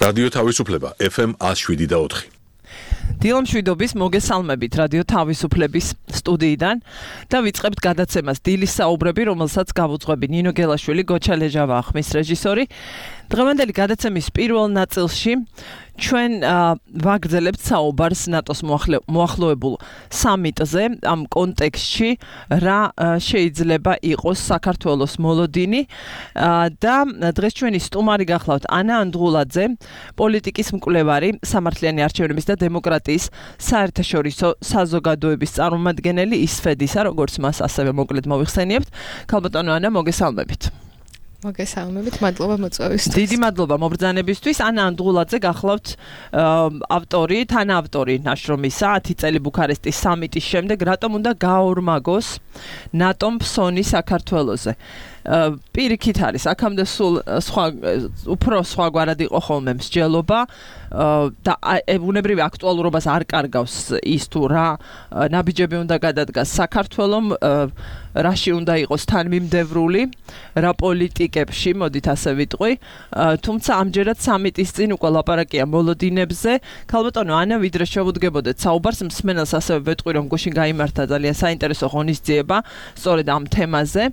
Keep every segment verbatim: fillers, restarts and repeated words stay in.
რადიო თავისუფლება ეფ ემ one oh seven და four. დილა მშვიდობის მოგესალმებით რადიო თავისუფლების სტუდიიდან და ვიწყებთ გადაცემას დილის საუბრები, რომელსაც გავუძღვები ნინო გელაშვილი, გოჩა ლეჟავა ხმის რეჟისორი. დღევანდელი გადაცემის პირველ ნაწილში ჩვენ ვაგრძელებთ საუბარს ნატოს მოახლოებულ სამიტზე, ამ კონტექსტში რა შეიძლება იყოს საქართველოს მოლოდინი და დღეს ჩვენი სტუმარი გახლავთ ანა ანდღულაძე, პოლიტიკის მკვლევარი, სამართლიანი არჩევნების და დემოკრატიის საერთაშორისო საზოგადოების წარმომადგენელი ისფედისა, როგორც მას ასევე მოკლედ მოვიხსენიებთ. ქალბატონო ანა, მოგესალმებით. მოგესალმებით, მადლობა მოწვევისთვის. დიდი მადლობა მობრძანებისთვის. ანა ანდღულაძე გახლავთ ავტორი, თანაავტორი ნაშრომისა ათი წელი ბუქარესტის სამიტის შემდეგ რატომ უნდა გააორმაგოს ნატომ ფსონი საქართველოზე. პირიქით არის, აქამდე სულ სხვა უფრო სხვაგვარად იყო ხოლმე მსჯელობა და ბუნებრივი აქტუალურობას არ კარგავს ის თუ რა ნაბიჯები უნდა გადადგას საქართველომ, რაში უნდა იყოს თანმიმდევრული, რა პოლიტიკებში, მოდით ასე ვიტყვი, თუმცა ამჯერად სამიტის წინ უკვე ლაპარაკია მოლოდინებზე. ქალბატონო ანა, ვიდრე შევუდგებოდეთ საუბარს, მსმენელს ასევე ვეტყვი, რომ გუშინ გაიმართა ძალიან საინტერესო ღონისძიება სწორედ ამ თემაზე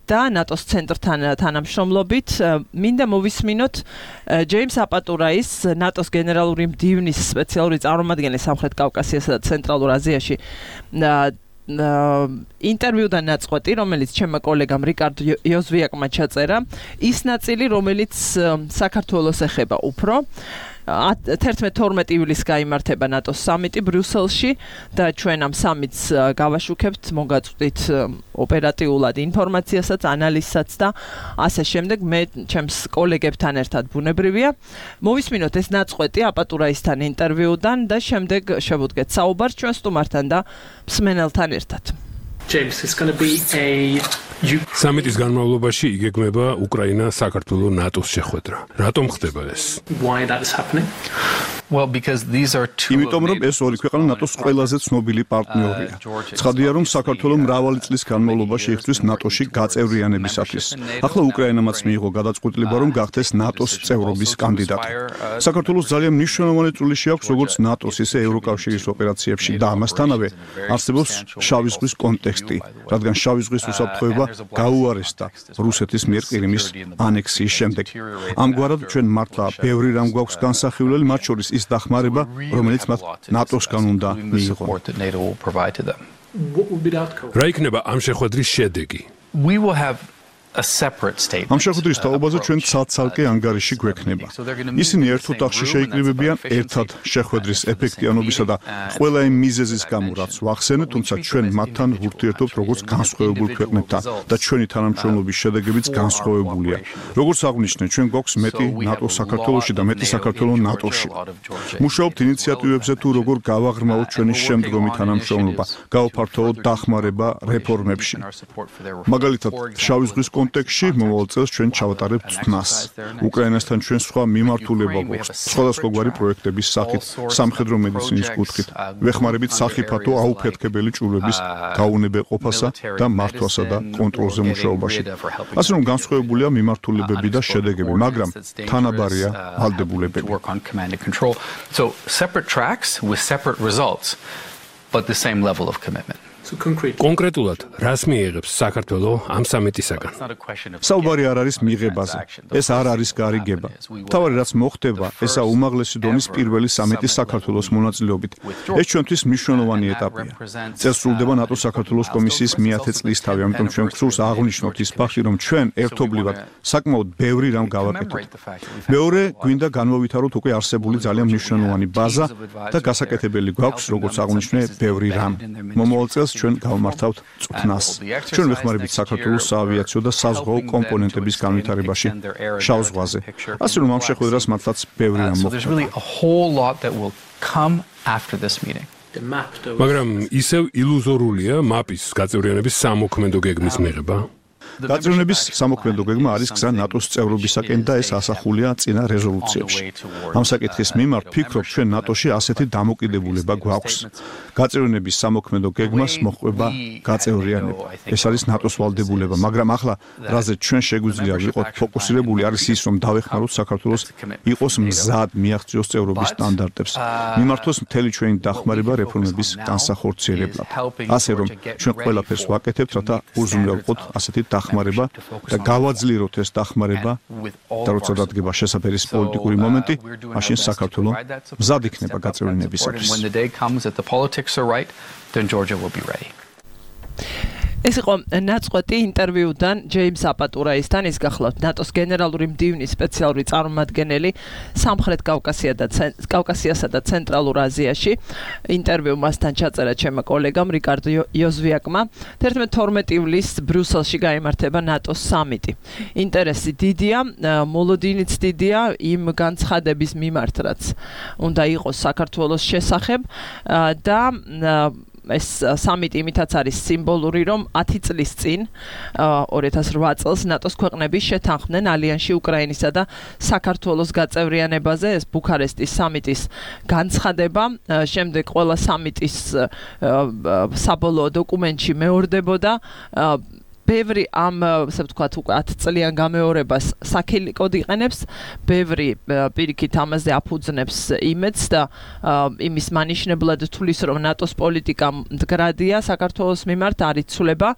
და ნატოს ცენტრთან თანამშრომლობით. მინდა მოვისმინოთ ჯეიმს აპატურაის, ნატოს გენერალური მდივნის სპეციალური წარმომადგენელი სამხრეთ კავკასიასა და ცენტრალურ აზიაში ინტერვიუდან ნაწყვეტი, რომელიც ჩემმა კოლეგამ რიკარდ იოზვიაკმა ჩაწერა, ის ნაწილი, რომელიც საქართველოს ეხება უფრო. თერთმეტ თორმეტ ივლისს გაიმართება ნატოს სამიტი ბრიუსელში და ჩვენ ამ სამიტს გავაშუქებთ, მოგაწვდით ოპერატიულად ინფორმაციასაც, ანალიზსაც და ასე შემდეგ. მე ჩემს კოლეგებთან ერთად ბუნებრივია. მოვისმინოთ ეს ნაწყვეტი აპატურაისთან ინტერვიუდან და შემდეგ შევუდგეთ საუბარს ჩვენ სტუმართან და მსმენელთან ერთად. James, it's going to be a სამიტის განმავლობაში იგეგმება უკრაინა საქართველოს ნატოს შეხვედრა. რატომ ხდება ეს? Why that is happening? Well, because these are two იმიტომ რომ ეს ორი ქვეყანა ნატოს ყველაზე ცნობილი პარტნიორია. ცხადია რომ საქართველოს მრავალი წლის განმავლობაში იხდვის ნატოში გაწევრიანებისათვის. ახლა უკრაინამაც მიიღო გადაწყვეტილება რომ გახდეს ნატოს წევრობის კანდიდატი. საქართველოს ძალიან მნიშვნელოვანი წვლილი შეაქვს როგორც ნატოს, ისე ევროკავშირის ოპერაციებში და ამასთანავე არსებობს შავი ზღვის კონტექსტი, რადგან შავი ზღვის უსაფრთხოება გაუარესდა რუსეთის მიერ ყირიმის ანექსიის შემდეგ. ამგვარად ჩვენ მართლა ბევრი რამ გვაქვს განსახილველი, მათ შორის ის დახმარება, რომელიც მათ ნატოსგან უნდა მიიღონ. რა იქნება ამ შეხვედრის შედეგი? We will have a separate statement. ამ შეხვედრის თაობაზე ჩვენ ცალ-ცალკე ანგარიში გვექნება. ისინი ერთ ოთახში შეიკრიბებიან ერთად შეხვედრის ეფექტიანობისა და ყველა იმ მიზეზის გამო, რაც ვახსენე, თუმცა ჩვენ მათთან ვურთიერთობთ როგორც განსხვავებულ ქვეყნებთან და ჩვენი თანამშრომლობის შედეგებიც განსხვავებულია. როგორც აღნიშნე, ჩვენ გვაქვს მეტი ნატო საქართველოში და მეტი საქართველოს ნატოში. მუშაობთ ინიციატივებზე თუ როგორ გავაღრმავოთ ჩვენი შემდგომი თანამშრომლობა, გავაფართოვოთ დახმარება რეფორმებში. მაგალითად, შავი ზღვის კონტექსტში მომავალ წელს ჩვენ ჩავატარებთ წვნას. უკრაინასთან ჩვენ სხვა მიმართულება გვაქვს, სხვადასხვაგვარი პროექტების სახით, სამხედრო მედიცინის კუთხით, ვეხმარებით სახიფათო აუფეთქებელი ჭურვების გაუნებეყოფასა და მართვასა და კონტროლზე მუშაობაში. ასე რომ განსხვავებულია მიმართულებები და შედეგები, მაგრამ თანაბარია ვალდებულებები. So separate tracks with separate results, but the same level of commitment. კონკრეტულად რას მიიღებს საქართველოს ამ სამიტისაგან? საუბარი არ არის მიღებაზე. ეს არ არის გარიგება. თავარი რაც მოხდება, ესა უმაღლესი დონის პირველი სამიტი საქართველოს მონაწილეობით. ეს ჩვენთვის მნიშვნელოვანი ეტაპია. წელს სრულდება ნატოს საქართველოს კომისიის მეათე წლისთავი, ამიტომ ჩვენ გსურს აღვნიშნოთ ის ფაქტი, რომ ჩვენ ერთობლივად საკმაოდ ბევრი რამ გავაკეთოთ. მეორე, გვინდა განმოვითაროთ უკვე არსებული ძალიან მნიშვნელოვანი ბაზა და გასაკეთებელი გვაქვს, როგორც აღვნიშნე, ბევრი რამ. მომავალ წელს ჩვენ გავმართავთ წვნას. ჩვენ ვეხმარებით საქართველოს საავიაციო და საზღვაო კომპონენტების განვითარებაში შავ ზღვაზე. ასე რომ ამ შეხვედრას მართლაც ბევრი რამ მოხდა. მაგრამ ისევ ილუზორულია მაპის გაწევრიანების სამოქმედო გეგმის მიღება. გაწევრიანების სამოქმედო გეგმა არის გზა ნატოს წევრობისაკენ და ეს ასახულია წინა რეზოლუციებში. ამ საკითხის მიმართ ფიქრობ, ჩვენ ნატოში ასეთი დამოკიდებულება გვაქვს. გაწევრიანების სამოქმედო გეგმას მოჰყვება გაწევრიანება. ეს არის ნატოს ვალდებულება, მაგრამ ახლა რაზეც ჩვენ შეგვიძლია ვიყოთ ფოკუსირებული არის ის, რომ დავეხმაროთ საქართველოს იყოს მზად მიაღწიოს წევრობის სტანდარტებს. მიმართოს მთელი ჩვენი დახმარება რეფორმების განსახორციელებლად. ასე რომ ჩვენ ყველაფერს ვაკეთებთ, რათა უზრუნველყოთ ასეთი დახმარება და გავაძლიეროთ ეს დახმარება და როცა დადგება შესაძლებლის პოლიტიკური მომენტი, მაშინ საქართველო მზად იქნება გაწევრიანებისათვის. ეს იყო ნაწყვეტი ინტერვიუდან ჯეიმს აპატურაისთან, ის გახლავთ ნატოს გენერალური მდივნის სპეციალური წარმომადგენელი სამხრეთ კავკასიასა და ცენტრალურ აზიაში. ინტერვიუ მასთან ჩაწერა ჩემმა კოლეგამ რიკარდო იოზვიაკმა. თერთმეტ-თორმეტი ივლისს ბრიუსელში გაიმართება ნატოს სამიტი. ინტერესი დიდია, მოლოდინიც დიდია იმ განცხადების მიმართ, რაც უნდა იყოს საქართველოს შესახებ და ეს სამიტი იმითაც არის სიმბოლური, რომ ათი წლის წინ ორი ათას ოთხ წელს ნატოს ქვეყნები შეთანხმდნენ ალიანსში უკრაინისა და საქართველოს გაწევრიანებაზე. ეს ბუქარესტის სამიტის განცხადება, შემდეგ ყველა სამიტის საბოლოო დოკუმენტში მეორდებოდა. ბევრი ამ, ასე ვთქვათ, უკვე ათი წლიან გამეორებას საქილიკოდ იყენებს, ბევრი პირიქით ამაზე აფუძნებს იმედს და იმის მანიშნებლად თulis, რომ ნატოს პოლიტიკა მდგრადია საქართველოს მიმართ, არ იცვლება.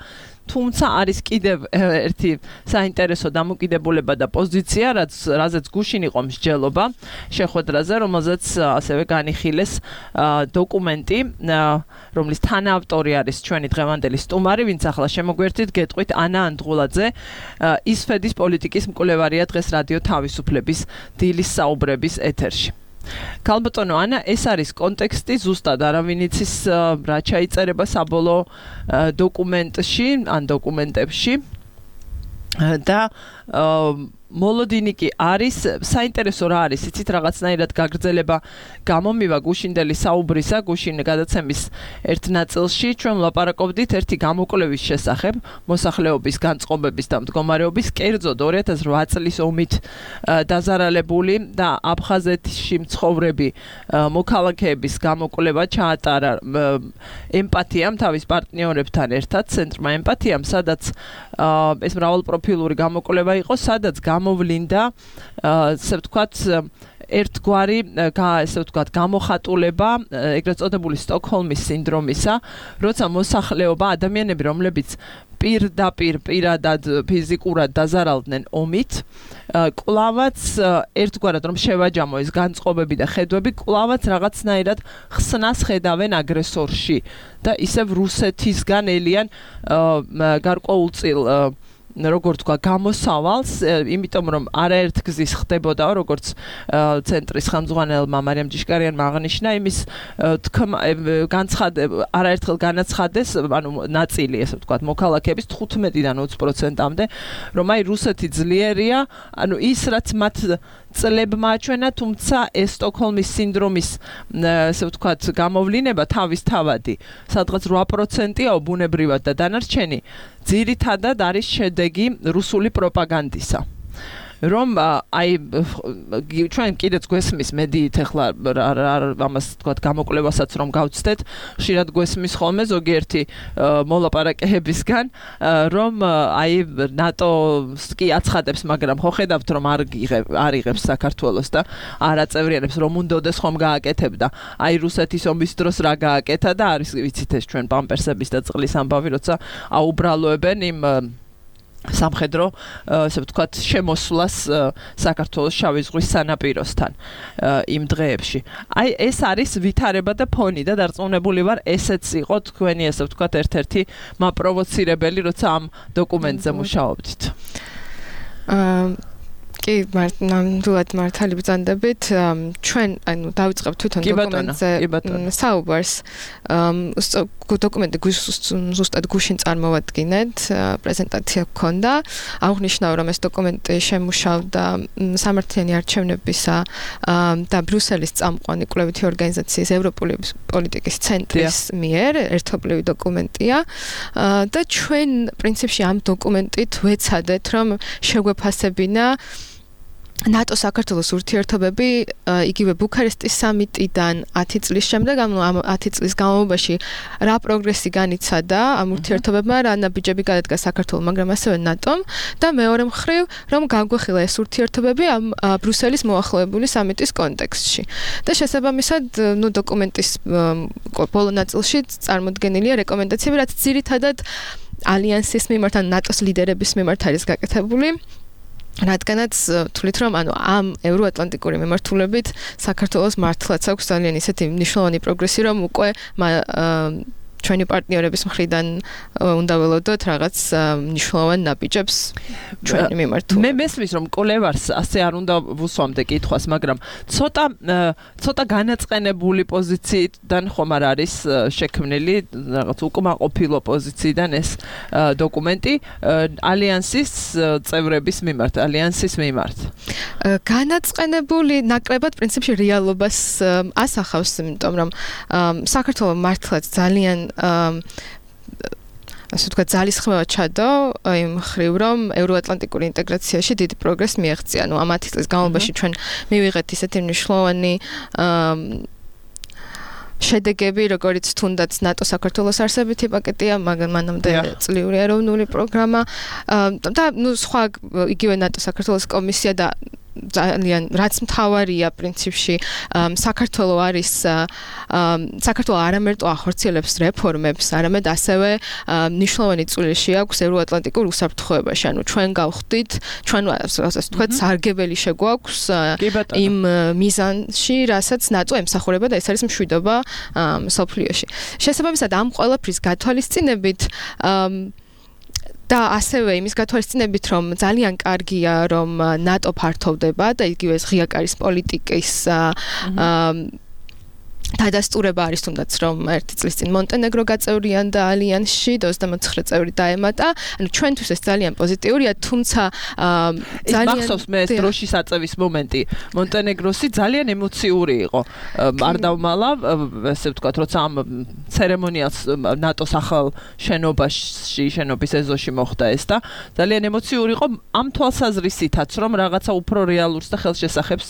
თუმცა არის კიდევ ერთი საინტერესო დამოკიდებულება და პოზიცია, რაც რაზეც გუშინ იყო მსჯელობა შეხვედრაზე, რომელზეც ასევე განიხილეს დოკუმენტი, რომლის თანაავტორი არის ჩვენი დღევანდელი სტუმარი, ვინც ახლა შემოგვერთით, გეტყვით ანა ანდღულაძე, ისფედის პოლიტიკის მკვლევარია დღეს რადიო თავისუფლების დილის საუბრების ეთერში. ქალბატონო ანა, ეს არის კონტექსტი, ზუსტად არავინ იცის რა ჩაიწერება საბოლოო დოკუმენტში, ან დოკუმენტებში და მოლოდინი კი არის, საინტერესო რა არის, იცით რაღაცნაირად გაგრძელება გამომივა გუშინდელი საუბრისა, გუშინ გადაცემის ერთ ნაწილში ჩვენ ვლაპარაკობდით ერთი გამოკვლევის შესახებ, მოსახლეობის განწყობების და მდგომარეობის, კერძოდ ორი ათას ოთხ წლის ომით დაზარალებული და აფხაზეთში მცხოვრები მოქალაქეების გამოკვლევა ჩაატარა ემპათიამ თავის პარტნიორებთან ერთად, ცენტრმა ემპათიამ, სადაც ეს მრავალპროფილური გამოკვლევა იყო, სადაც გამოვლინდა, ასე ვთქვათ, ერთგვარი, ასე ვთქვათ, გამოხატულება, ეგრეთ წოდებული სტოკჰოლმის სინდრომისა, როცა მოსახლეობა, ადამიანები, რომლებიც პირდაპირ პირადად ფიზიკურად დაზარალდნენ ომით, კვლავაც ერთგვარად რომ შევაჯამო ეს განწყობები და ხედვები, კვლავაც რაღაცნაირად ხსნას ხედავენ აგრესორში და ისევ რუსეთისგან ელიან გარკვეულწილ როგორ თქვა გამოსავალს, იმიტომ რომ არაერთ გზის ხდებოდა, როგორც ცენტრის ხელმძღვანელმა მარიამ ჯიშკარიანმა აღნიშნა, იმის განცხადება არაერთხელ განაცხადეს, ანუ ნაწილი, ესე ვთქვათ, მოქალაქეების თხუთმეტიდან ოცი პროცენტამდე, რომ აი რუსეთი ძლიერია, ანუ ის რაც მათ წლებმა აჩვენა, თუმცა ეს სტოკჰოლმის სინდრომის, ესე ვთქვათ, გამოვლინება თავისთავადი, სადღაც რვა პროცენტია ბუნებრივად და დანარჩენი ძირითადად არის შედეგი რუსული პროპაგანდისა. რომ აი ჩვენ კიდეც გვესმის მედიით ახლა ამას თქვათ გამოკვლევასაც რომ გავცდეთ, ხშირად გვესმის ხოლმე ზოგიერთი მოლაპარაკებისგან, რომ აი ნატოს კი აცხადებს, მაგრამ ხო ხედავთ რომ არ არ იღებს საქართველოს და არ აწევრიანებს, რომ უნდაოდეს ხომ გააკეთებდა. აი რუსეთის ომის დროს რა გააკეთა და არის ვიცით ეს ჩვენ პამპერსების და წყლის ამბავი, როცა აუბრალოებენ იმ სამხედრო, ასე ვთქვათ, შემოსვლას საქართველოს შავი ზღვის სანაპიროსთან იმ დღეებში. აი ეს არის ვითარება და ფონი და დარწმუნებული ვარ, ესეც იყო თქვენი, ასე ვთქვათ, ერთ-ერთი მაპროვოცირებელი, როცა ამ დოკუმენტზე მუშაობდით. აა კი, ნამდვილად მართალი ბრძანდებით. ჩვენ, ანუ დავიწყებთ თვითონ დოკუმენტზე საუბარს. დოკუმენტი ზუსტად გუშინ წარმოვადგინეთ, პრეზენტაცია გქონდა. აღნიშნავ, რომ ეს დოკუმენტი შემუშავდა სამართლიანი არჩევნებისა და ბრიუსელის წამყვანი კვლევითი ორგანიზაციის ევროპული პოლიტიკის ცენტრის მიერ ერთობლივი დოკუმენტია და ჩვენ პრინციპში ამ დოკუმენტით ვეცადეთ, რომ შეგვეფასებინა ნატო საქართველოს ურთიერთობები იგივე ბუქარესტის სამიტიდან ათი წლის შემდეგ, ანუ ამ ათი წლის განმავლობაში რა პროგრესი განიცადა ამ ურთიერთობებმა, რა ნაბიჯები გადადგა საქართველოს, მაგრამ ასევე ნატომ და მეორე მხრივ, რომ გაგვეხილა ეს ურთიერთობები ამ ბრიუსელის მოახლოებული სამიტის კონტექსტში. და შესაბამისად, ნუ დოკუმენტის ბოლო ნაწილში წარმოდგენილია რეკომენდაციები, რაც ძირითადად ალიანსის მიმართ, ან ნატოს ლიდერების მიმართ არის გაკეთებული. რადგანაც თვლით, რომ ანუ ამ ევროატლანტიკური მიმართულებით საქართველოს მართლაც აქვს ძალიან ისეთი მნიშვნელოვანი პროგრესი, რომ უკვე ჩვენი პარტნიორების მხრიდან უნდა ველოდოთ რაღაც მნიშვნელოვან ნაბიჯებს ჩვენი მიმართულებით. მე მესმის, რომ კოლევარს ასე არ უნდა ვუსვამდე კითხვას, მაგრამ ცოტა ცოტა განაწყენებული პოზიციიდან ხომ არ არის შექმნილი რაღაც უკმაყოფილო პოზიციიდან ეს დოკუმენტი ალიანსის წევრების მიმართ, ალიანსის მიმართ. განაწყენებული ნაკლებად პრინციპში რეალობას ასახავს, იმიტომ რომ საქართველოს მართლაც ძალიან ასე ვთქვათ, ძალისხმევა ჩადო იმ მხრივ, რომ ევროატლანტიკური ინტეგრაციაში დიდი პროგრესი მიაღწია. ნუ ამ ათი წლის განმავლობაში ჩვენ მივიღეთ ისეთი მნიშვნელოვანი შედეგები, როგორც თუნდაც ნატო საქართველოს არსებითი პაკეტია, მაგრამ მანამდე წლიური ეროვნული პროგრამა და ნუ სხვა იგივე ნატო საქართველოს კომისია და ძალიან რაც მთავარია პრინციპში საქართველოს არის საქართველოს არამარტო ახორციელებს რეფორმებს, არამედ ასევე მნიშვნელოვანი წვლილი აქვს ევროატლანტიკურ უსაფრთხოებაში. ანუ ჩვენ გავხდით, ჩვენ ასე ვთქვათ, სარგებელი შეგვაქვს იმ მიზანში, რასაც ნატო ემსახურება და ეს არის მშვიდობა მსოფლიოში. შესაბამისად, ამ ყველაფრის გათვალისწინებით და ასევე იმის გათვალისწინებით, რომ ძალიან კარგია, რომ ნატო ფართოვდება და იგივე ღია კარის პოლიტიკის დადასტურება არის თუნდაც, რომ ერთი წლის წინ მონტენეგრო გაწევრიანდა ალიანსში და ოცდამოთხი წევრი დაემატა. ანუ ჩვენთვის ეს ძალიან პოზიტიურია, თუმცა ძალიან მახსოვს მე ეს დროშის აწევის მომენტი. მონტენეგროსი ძალიან ემოციური იყო. არ დავმალა, ასე ვთქვათ, როცა ამ ცერემონიალს ნატოს ახალ შენობაში, შენობის ეზოში მოხდა ეს და ძალიან ემოციური იყო ამ თვალსაზრისითაც, რომ რაღაცა უფრო რეალურს და ხელშესახებს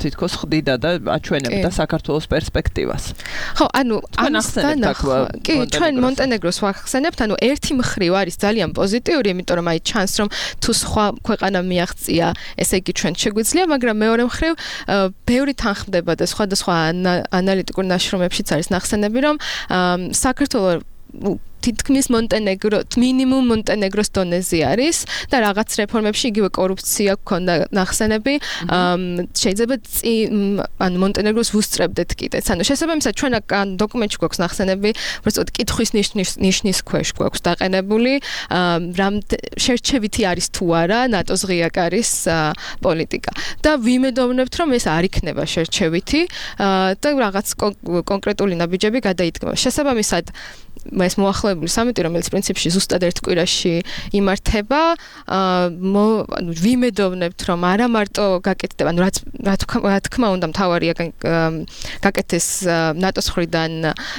თითქოს ხდიდა და აჩვენებდა საქართველოს პერსპექტივას. ხო, ანუ ამასთან კი, ჩვენ მონტენეგროს ვახსენებთ, ანუ ერთი მხრივ არის ძალიან პოზიტიური, იმიტომ რომ აი ჩანს, რომ თუ სხვა ქვეყანა მიაღწია, ესე იგი ჩვენ შეგვიძლია, მაგრამ მეორე მხრივ ბევრი თანხმდება და სხვადასხვა ანალიტიკურ ნაშრომებშიც არის ნახსენები, რომ საქართველოს თითქმის მონტენეგრო, მინიმუმ მონტენეგროს დონეზე არის და რაღაც რეფორმებში იგივე კორუფცია გქონდა ნახსენები, შეიძლება ანუ მონტენეგროს ვუსწრებდეთ კიდეც. ანუ შესაბამისად ჩვენ დოკუმენტში გვაქვს ნახსენები, უბრალოდ კითხვის ნიშნის ქვეშ გვაქვს დაყენებული, რამ შერჩევითი არის თუ არა ნატოს ღია კარის პოლიტიკა. და ვიმედოვნებთ, რომ ეს არ იქნება შერჩევითი და რაღაც კონკრეტული ნაბიჯები გადაიდგება. შესაბამისად ეს მოახლოებული სამიტი, რომელიც პრინციპში ზუსტად ერთ კვირაში იმართება, ანუ ვიმედოვნებთ, რომ არა მარტო გაკეთდება, ანუ რაც რა თქმა უნდა მთავარია გაკეთდეს ნატოს მხრიდან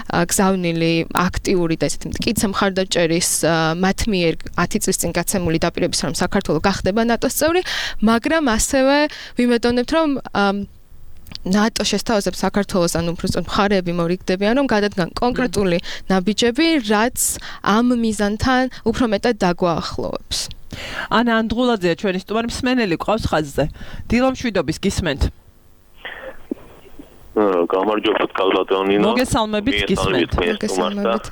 გზავნილი აქტიური და ესეთი მტკიცე მხარდაჭერის მათ მიერ ათი წლის წინ გაცემული დაპირების, რომ საქართველოს გახდება ნატოს წევრი, მაგრამ ასევე ვიმედოვნებთ, რომ ნატო შესთავაზებს საქართველოს, ანუ უბრალოდ მხარეები მორიგდებიან, რომ გადადგან კონკრეტული ნაბიჯები, რაც ამ მიზანთან უფრო მეტად დაგვაახლოვებს. ანა ანდღულაძეა ჩვენი სტუმარი, მსმენელი ყავს ხაზზე. დილომშვიდობის გისმენთ. გამარჯობათ კალბატონინო. მოგესალმებით, გისმენთ. მოგესალმებით.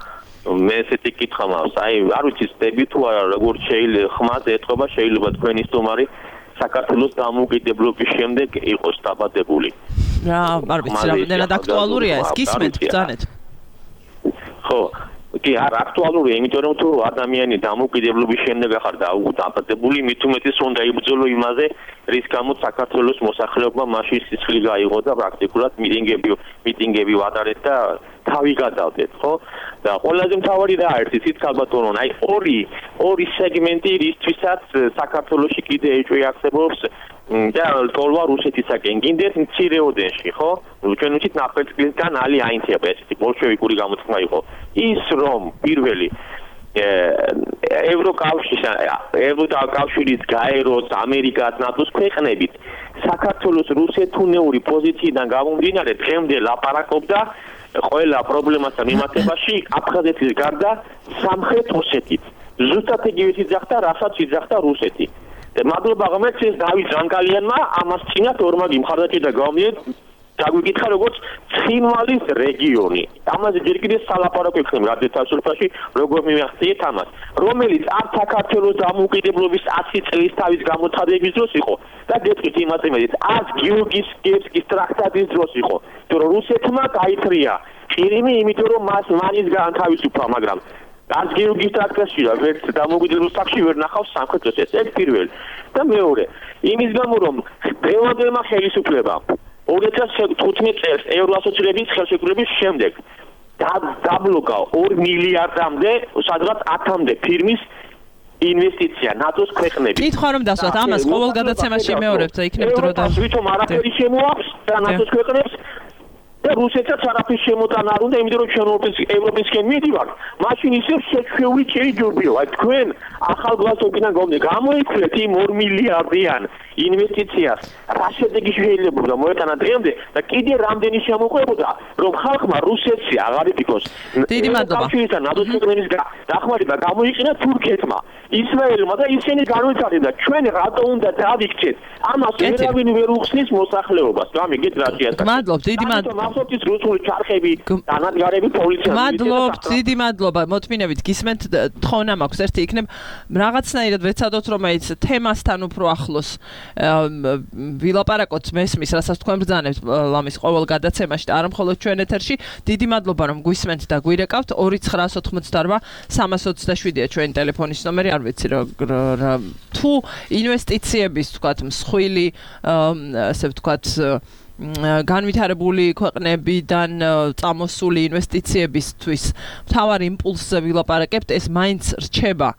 მე ესეთი კითხვა მაქვს. აი, არ ვიცი სტები თუ არა, როგორ შეიძლება ხმაზე ეთყობა, შეიძლება თქვენი სტუმარი საქართველოს დამოუკიდებლობის შემდეგ იყოს დაბადებული. რა, არ ვიცი, რამდენად აქტუალურია ეს, გისმენთ, ბრძანეთ. ხო, კი არ აქტუალურია, იმიტომ რომ თუ ადამიანი დამოუკიდებლობის შემდეგ ახარ დააპატებული, მით უმეტეს უნდა იბრძოლო იმაზე, რის გამოც საქართველოს მოსახლეობა მაშინ სისხლი გაიღო და პრაქტიკულად მიტინგები მიტინგები ვატარეთ და თავი გადავდეთ, ხო? და ყველაზე მთავარი რა არის იცით ქალბატონო, აი ორი ორი სეგმენტი რისთვისაც საქართველოში კიდე ეჭვიახსებობს და თოლვა რუსეთისაკენ გინდეთ მცირეოდენში, ხო? ჩვენ ვიცით ნაფეთქლისგან ალი აინთება ესეთი ბოლშევიკური გამოთქმა იყო. ის რომ პირველი ევროკავშირის ევროკავშირის გაეროს ამერიკას ნატოს ქვეყნებით საქართველოს რუსეთუნეური პოზიციიდან გამომდინარე დღემდე ლაპარაკობდა ყველა პრობლემასთან მიმართებაში აფხაზეთის გარდა სამხრეთ ოსეთით. ზუსტად იგივე იძახდა, რასაც იძახდა რუსეთი. მადლობა ღმერთს დავით ჟანკალიანმა ამას წინათ ორმაგი მხარდაჭერა გამომიეთ დაგვიკითხა როგორც ცხინვალის რეგიონი. ამაზე ჯერ კიდევ სალაპარაკო იქნება გადაცასულფაში როგორ მივახციეთ ამას, რომელიც არ საქართველოს დამოუკიდებლობის ათი წლის თავის გამოცხადების დროს იყო და გეტყვით იმაზე მეტიც ას გიორგის ტრაქტატის დროს იყო. თუ რუსეთმა გაითრია ყირიმი, იმიტომ რომ მას მანის გაანთავისუფლა, მაგრამ ას გიორგის ტრაქტატში რა ვერც დამოუკიდებლობის ფაქტში ვერ ნახავს სამხრეთ ოსეთს. ეს პირველი. და მეორე, იმის გამო რომ დღევანდელმა ხელისუფლებამ ორი ათას თხუთმეტ წელს ევროასოციაციების ხელშეკრულების შემდეგ დაბლოკა ორი მილიარდამდე, სადღაც ათამდე ფირმის ინვესტიცია ნატოს ქვეყნებში. კითხვა რომ დასვათ ამას ყოველ გადაცემაში მეორებთ და იქნებ დრო და ვითომ არაფერი შემოაქვს და ნატოს ქვეყნებს და რუსეთსაც არაფერი შემოტანა არ უნდა, იმიტომ რომ ჩვენ ევროპისკენ მიდივართ, მაშინ ისევ შეჩვეული შეიძლება. აი თქვენ ახალგაზრდობიდან გომდე გამოიქვლიეთ იმ ორი მილიარდიან ინვესტიციას, რა შედეგი შეიძლება მოეტანა დღემდე და კიდე რამდენი შემოყვებოდა, რომ ხალხმა რუსეთში აღარ იფიქოს. დიდი მადლობა. კავშირის ნატოს ქვეყნების დახმარება გამოიყენა თურქეთმა, ისრაელმა და ისინი განვითარდნენ და ჩვენ რატო უნდა დავიქცეთ? ამას ვერავინ ვერ უხსნის მოსახლეობას. გამიგეთ რა შეასახა. მადლობთ, დიდი მადლობა. მახსოვთ რუსული ჩარხები, დანადგარები პოლიცია. მადლობთ, დიდი მადლობა. მოთმინებით გისმენთ თხოვნამ აქვს ერთი იქნებ რაღაცნაირად ვეცადოთ რომ აი თემასთან უფრო ახლოს ვილაპარაკოთ მესმის, რასაც თქვენ ბრძანებთ ლამის ყოველ გადაცემაში და არა მხოლოდ ჩვენ ეთერში. დიდი მადლობა რომ გვისმენთ და გვირეკავთ. ორი ცხრაას ოცდაოთხმოცდაარბა სამას ოცდაშვიდია ჩვენი ტელეფონის ნომერი, არ ვიცი რა თუ ინვესტიციების თქვათ მსხვილი ასე ვთქვათ განვითარებული ქვეყნებიდან წამოსული ინვესტიციებისთვის მთავარი იმპულსზე ვილაპარაკებთ, ეს მაინც რჩება,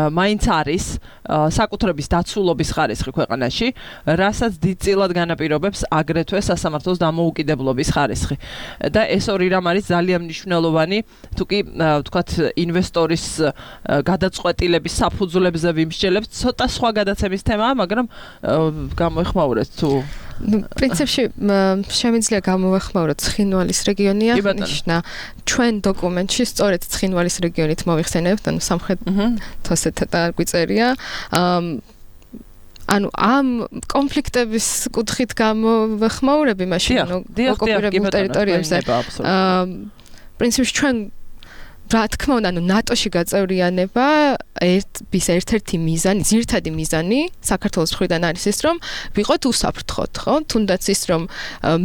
მაინც არის საკუთრების დაცულობის ხარისხი ქვეყანაში, რასაც დიდწილად განაპირობებს აგრეთვე სასამართლოს დამოუკიდებლობის ხარისხი. და ეს ორი რამ არის ძალიან მნიშვნელოვანი, თუ კი ვთქვათ ინვესტორის გადაწყვეტილების საფუძვლებზე ვიმსჯელებთ, ცოტა სხვა გადაცემის თემაა, მაგრამ გამოეხმაურეთ თუ ну, პრინციპში შემიძლია გამოვეხმაუროთ ცხინვალის რეგიონი აღნიშნა. ჩვენ დოკუმენტში სწორედ ცხინვალის რეგიონით მოვიხსენებთ, ანუ სამხრეთ თოსეთთან არ გვიწერია. ანუ ამ კონფლიქტების კუთხით გამოვეხმაურები მაშინ ოკუპირებულ ტერიტორიებზე. პრინციპში ჩვენ რა თქმა უნდა, ანუ ნატოში გაწევრიანება ერთის ერთ-ერთი მიზანი, ძირითადი მიზანი საქართველოს მხრიდან არის ის, რომ ვიყოთ უსაფრთხოდ, ხო? თუნდაც ის, რომ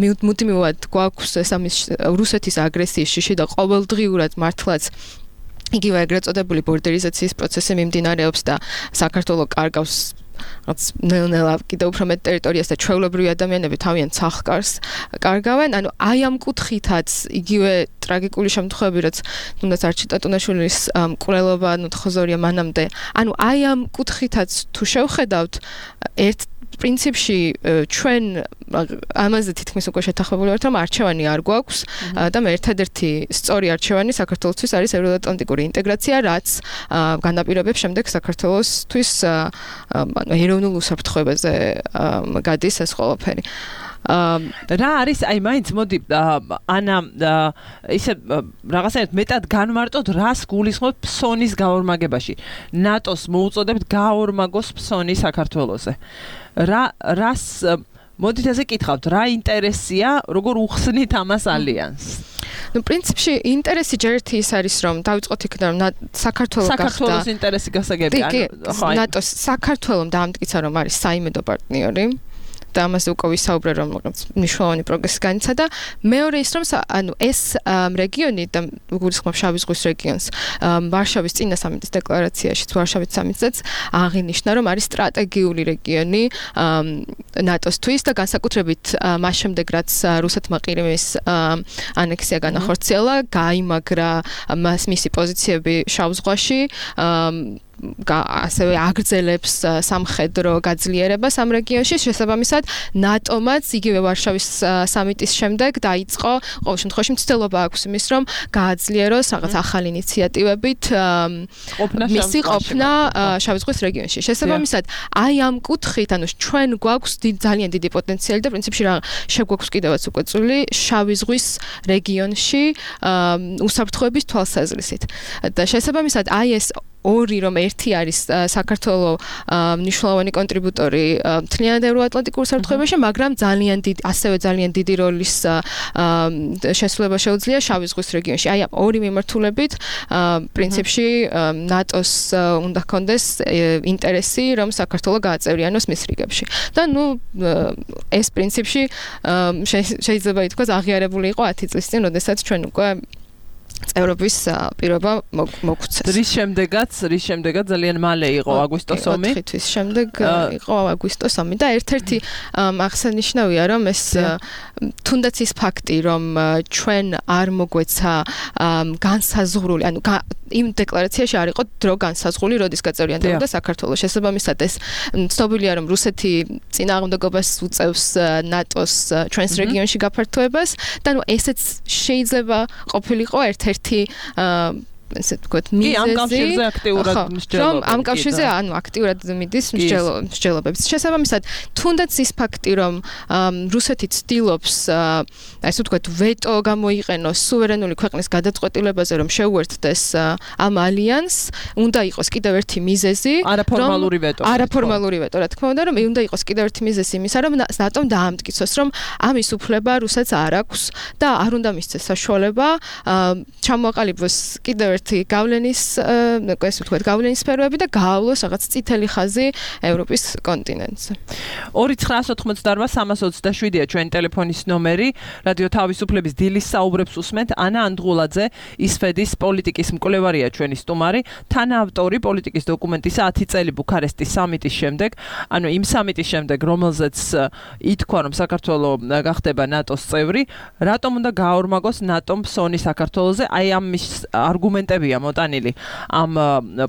მუდმივად გვაქვს ეს ამის რუსეთის აგრესიის შიში და ყოველდღიურად მართლაც იგივე ეგრეთ წოდებული ბორდერიზაციის პროცესი მიმდინარეობს და საქართველო კარგავს რაც ნელ-ნელა კიდევ უფრო მეტ ტერიტორიას და ჩვეულებრივი ადამიანები თავიანთ სახლკარს კარგავენ. ანუ აი ამ კუთხითაც იგივე ტრაგიკული შემთხვევები, რაც თუნდაც არჩილ ტატუნაშვილის მკვლელობა, ანუ თხოზორია მანამდე. ანუ აი ამ კუთხითაც თუ შევხედავთ, ერთ პრინციპში ჩვენ ამაზე თითქმის უკვე შეთანხმებული ვართ, რომ არჩევანი არ გვაქვს და მე ერთადერთი სწორი არჩევანი საქართველოსთვის არის ევროატლანტიკური ინტეგრაცია, რაც განაპირობებს შემდეგ საქართველოსთვის ანუ ეროვნულ უსაფრთხოებაზე გადის ეს ყველაფერი. რა არის აი მაინც მოდი ანა ისე რაღაცნაირად მეტად განმარტოთ რას გულისხმობთ ფსონის გაორმაგებაში. ნატოს მოუწოდებთ გაორმაგოს ფსონი საქართველოზე. რა რას მოდით ასე კითხავთ, რა ინტერესია, როგორ უხსნით ამას ალიანსს? ну პრინციპში ინტერესი ჯერ ერთი ის არის რომ დავიწყოთ იქიდან რომ საქართველოს გახდა საქართველოს ინტერესი გასაგებია ნატოს საქართველოს დაამტკიცა რომ არის საიმედო პარტნიორი და ამაზე უკვე ვისაუბრე რომ მნიშვნელოვანი პროგრესი განიცადა. მეორე ის რომ ანუ ეს რეგიონი და გულისხმობ შავი ზღვის რეგიონს ვარშავის წინა სამიტის დეკლარაციაში ვარშავის სამიტზეც აღინიშნა რომ არის სტრატეგიული რეგიონი ნატოსთვის და განსაკუთრებით მას შემდეგ რაც რუსეთმა ყირიმის ანექსია განახორციელა, გაიმაგრა მას მისი პოზიციები შავ ზღვაში ასევე აგრძელებს სამხედრო გაძლიერებას ამ რეგიონში. შესაბამისად, ნატომაც იგივე ვარშავის სამიტის შემდეგ დაიწყო ყოველ შემთხვევაში მცდელობა აქვს იმის, რომ გააძლიეროს რაღაც ახალი ინიციატივებით მისი ყოფნა შავი ზღვის რეგიონში. შესაბამისად, აი ამ კუთხით, ანუ ჩვენ გვაქვს ძალიან დიდი პოტენციალი და პრინციპში რა შეგვაქვს კიდევაც უკვე წვლილი შავი ზღვის რეგიონში უსაფრთხოების თვალსაზრისით. და შესაბამისად, აი ეს ორი რომ ერთი არის საქართველოს მნიშვნელოვანი კონტრიბუტორი მთლიანად ევროატლანტიკურ საფრთხეებაში, მაგრამ ძალიან დიდი ასევე ძალიან დიდი როლის შესრულება შეუძლია შავი ზღვის რეგიონში. აი ამ ორი მიმართულებით პრინციპში ნატოს უნდა ჰქონდეს ინტერესი რომ საქართველოს გააწევრიანოს მის რიგებში. და ნუ ეს პრინციპში შეიძლება ითქვას აღიარებული იყო ათი წლის წინ, როდესაც ჩვენ უკვე წევრობის პირობა მოგვცეს. რის შემდეგაც, რის შემდეგაც ძალიან მალე იყო აგვისტოს ომი. ოთხი თვის შემდეგ იყო აგვისტოს ომი და ერთ-ერთი აღსანიშნავია რომ ეს თუნდაც ის ფაქტი რომ ჩვენ არ მოგვეცა განსაზღვრული, ანუ იმ დეკლარაციაში არ იყო დრო განსაზღვრული, როდის გაწევრიანდებოდა საქართველოს. შესაბამისად ეს ცნობილია რომ რუსეთი წინააღმდეგობას უწევს ნატოს ჩვენს რეგიონში გაფართოებას და ნუ ესეც შეიძლება ყოფილიყო ერთ-ერთი ესე ვთქვათ მიზეზი. კი, ამ კავშირზე აქტიურად მსჯელობენ. ამ კავშირზე ანუ აქტიურად მიდის მსჯელობებს. შესაბამისად, თუნდაც ის ფაქტი, რომ რუსეთი ცდილობს ესე ვთქვათ ვეტო გამოიყენოს სუვერენული ქვეყნის გადაწყვეტილებაზე, რომ შეუერთდეს ამ ალიანსს, უნდა იყოს კიდევ ერთი მიზეზი, არაფორმალური ვეტო. არაფორმალური ვეტო, რა თქმა უნდა, რომ უნდა იყოს კიდევ ერთი მიზეზი იმისა, რომ ნატომ დაამტკიცოს, რომ ამის უფლება რუსეთს არ აქვს და არ უნდა მისცეს საშუალება ჩამოაყალიბოს კიდევ ერთი გავლენის, ესე ვთქვათ, გავლენის სფეროები და გაავლოს რაღაც წითელი ხაზი ევროპის კონტინენტზე. ორი ცხრაას ოცდაოთხმოცდაარბა სამას ოცდაშვიდია ჩვენი ტელეფონის ნომერი. რადიო თავისუფლების დილის საუბრებს უსმენთ. ანა ანდღულაძე, ისფედის პოლიტიკის მკვლევარია ჩვენი სტუმარი, თანაავტორი პოლიტიკის დოკუმენტისა ათი წელი ბუქარესტის სამიტის შემდეგ, ანუ იმ სამიტის შემდეგ, რომელზეც ითქვა, რომ საქართველოს გახდება ნატოს წევრი, რატომ უნდა გაორმაგოს ნატომ ფსონი საქართველოზე? აი ამის არგუმენტებია მოტანილი ამ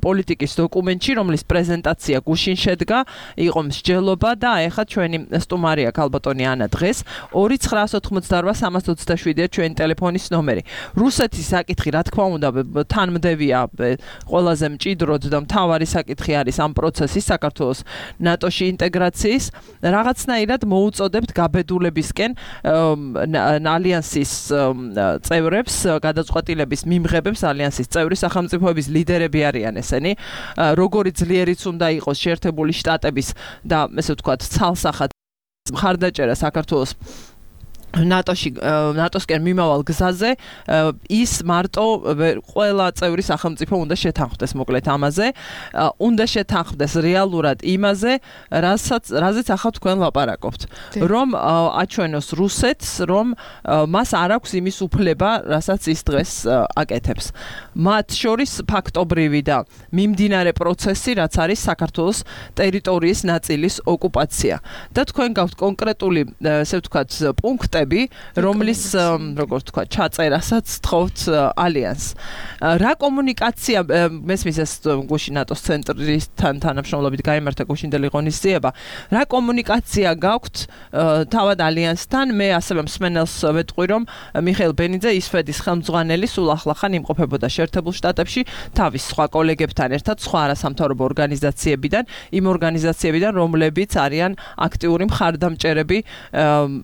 პოლიტიკის დოკუმენტში, რომლის პრეზენტაცია გუშინ შედგა, იყო მსჯელობა და ეხლა ჩვენი სტუმარია ქალბატონი ანა დღეს. ორი ცხრაას ოცდაოთხმოცდაარბა სამას ოცდაშვიდია ჩვენი ტელეფონის ნომერი. რუსეთის საკითხი, რა თქმა უნდა, თანმდევია ყველაზე მჭიდროდ და მთავარი საკითხი არის ამ პროცესის საქართველოს ნატოში ინტეგრაციის. რაღაცნაირად მოუწოდებთ გაბედულებისკენ ალიანსის წევრებს, გადაწყვეტილების მიმღებებს, ალიანსის წევრი სახელმწიფოების ლიდერები არიან ესენი. როგორი ძლიერიც უნდა იყოს შეერთებული შტატების და ესე ვთქვათ, ცალსახად მხარდაჭერა საქართველოს ნატოში ნატოსკენ მიმავალ გზაზე ის მარტო ყველა წევრი სახელმწიფო უნდა შეთანხმდეს მოკლედ ამაზე, უნდა შეთანხმდეს რეალურად იმაზე, რასაც რაზეც ახლა თქვენ ლაპარაკობთ, რომ აჩვენოს რუსეთს, რომ მას არ აქვს იმის უფლება, რასაც ის დღეს აკეთებს. მათ შორის ფაქტობრივი და მიმდინარე პროცესი, რაც არის საქართველოს ტერიტორიის ნაწილის ოკუპაცია. და თქვენ გაქვთ კონკრეტული, ესე ვთქვათ, პუნქტი რომლის როგორც თქვა ჩაწერასაც თხოვთ ალიანს. რა კომუნიკაცია მესმის ეს გუშინ ნატოს ცენტრისთან თანამშრომლობით გაიმართა გუშინდელი ღონისძიება. რა კომუნიკაცია გაქვთ თავად ალიანსთან? მე ასევე მსმენელს ვეტყვი, რომ მიხეილ ბენიძე ისფედის ხელმძღვანელი სულ ახლახან იმყოფებოდა შეერთებულ შტატებში თავის სხვა კოლეგებთან ერთად, სხვა არასამთავრობო ორგანიზაციებიდან, იმ ორგანიზაციებიდან, რომლებიც არიან აქტიური მხარდამჭერები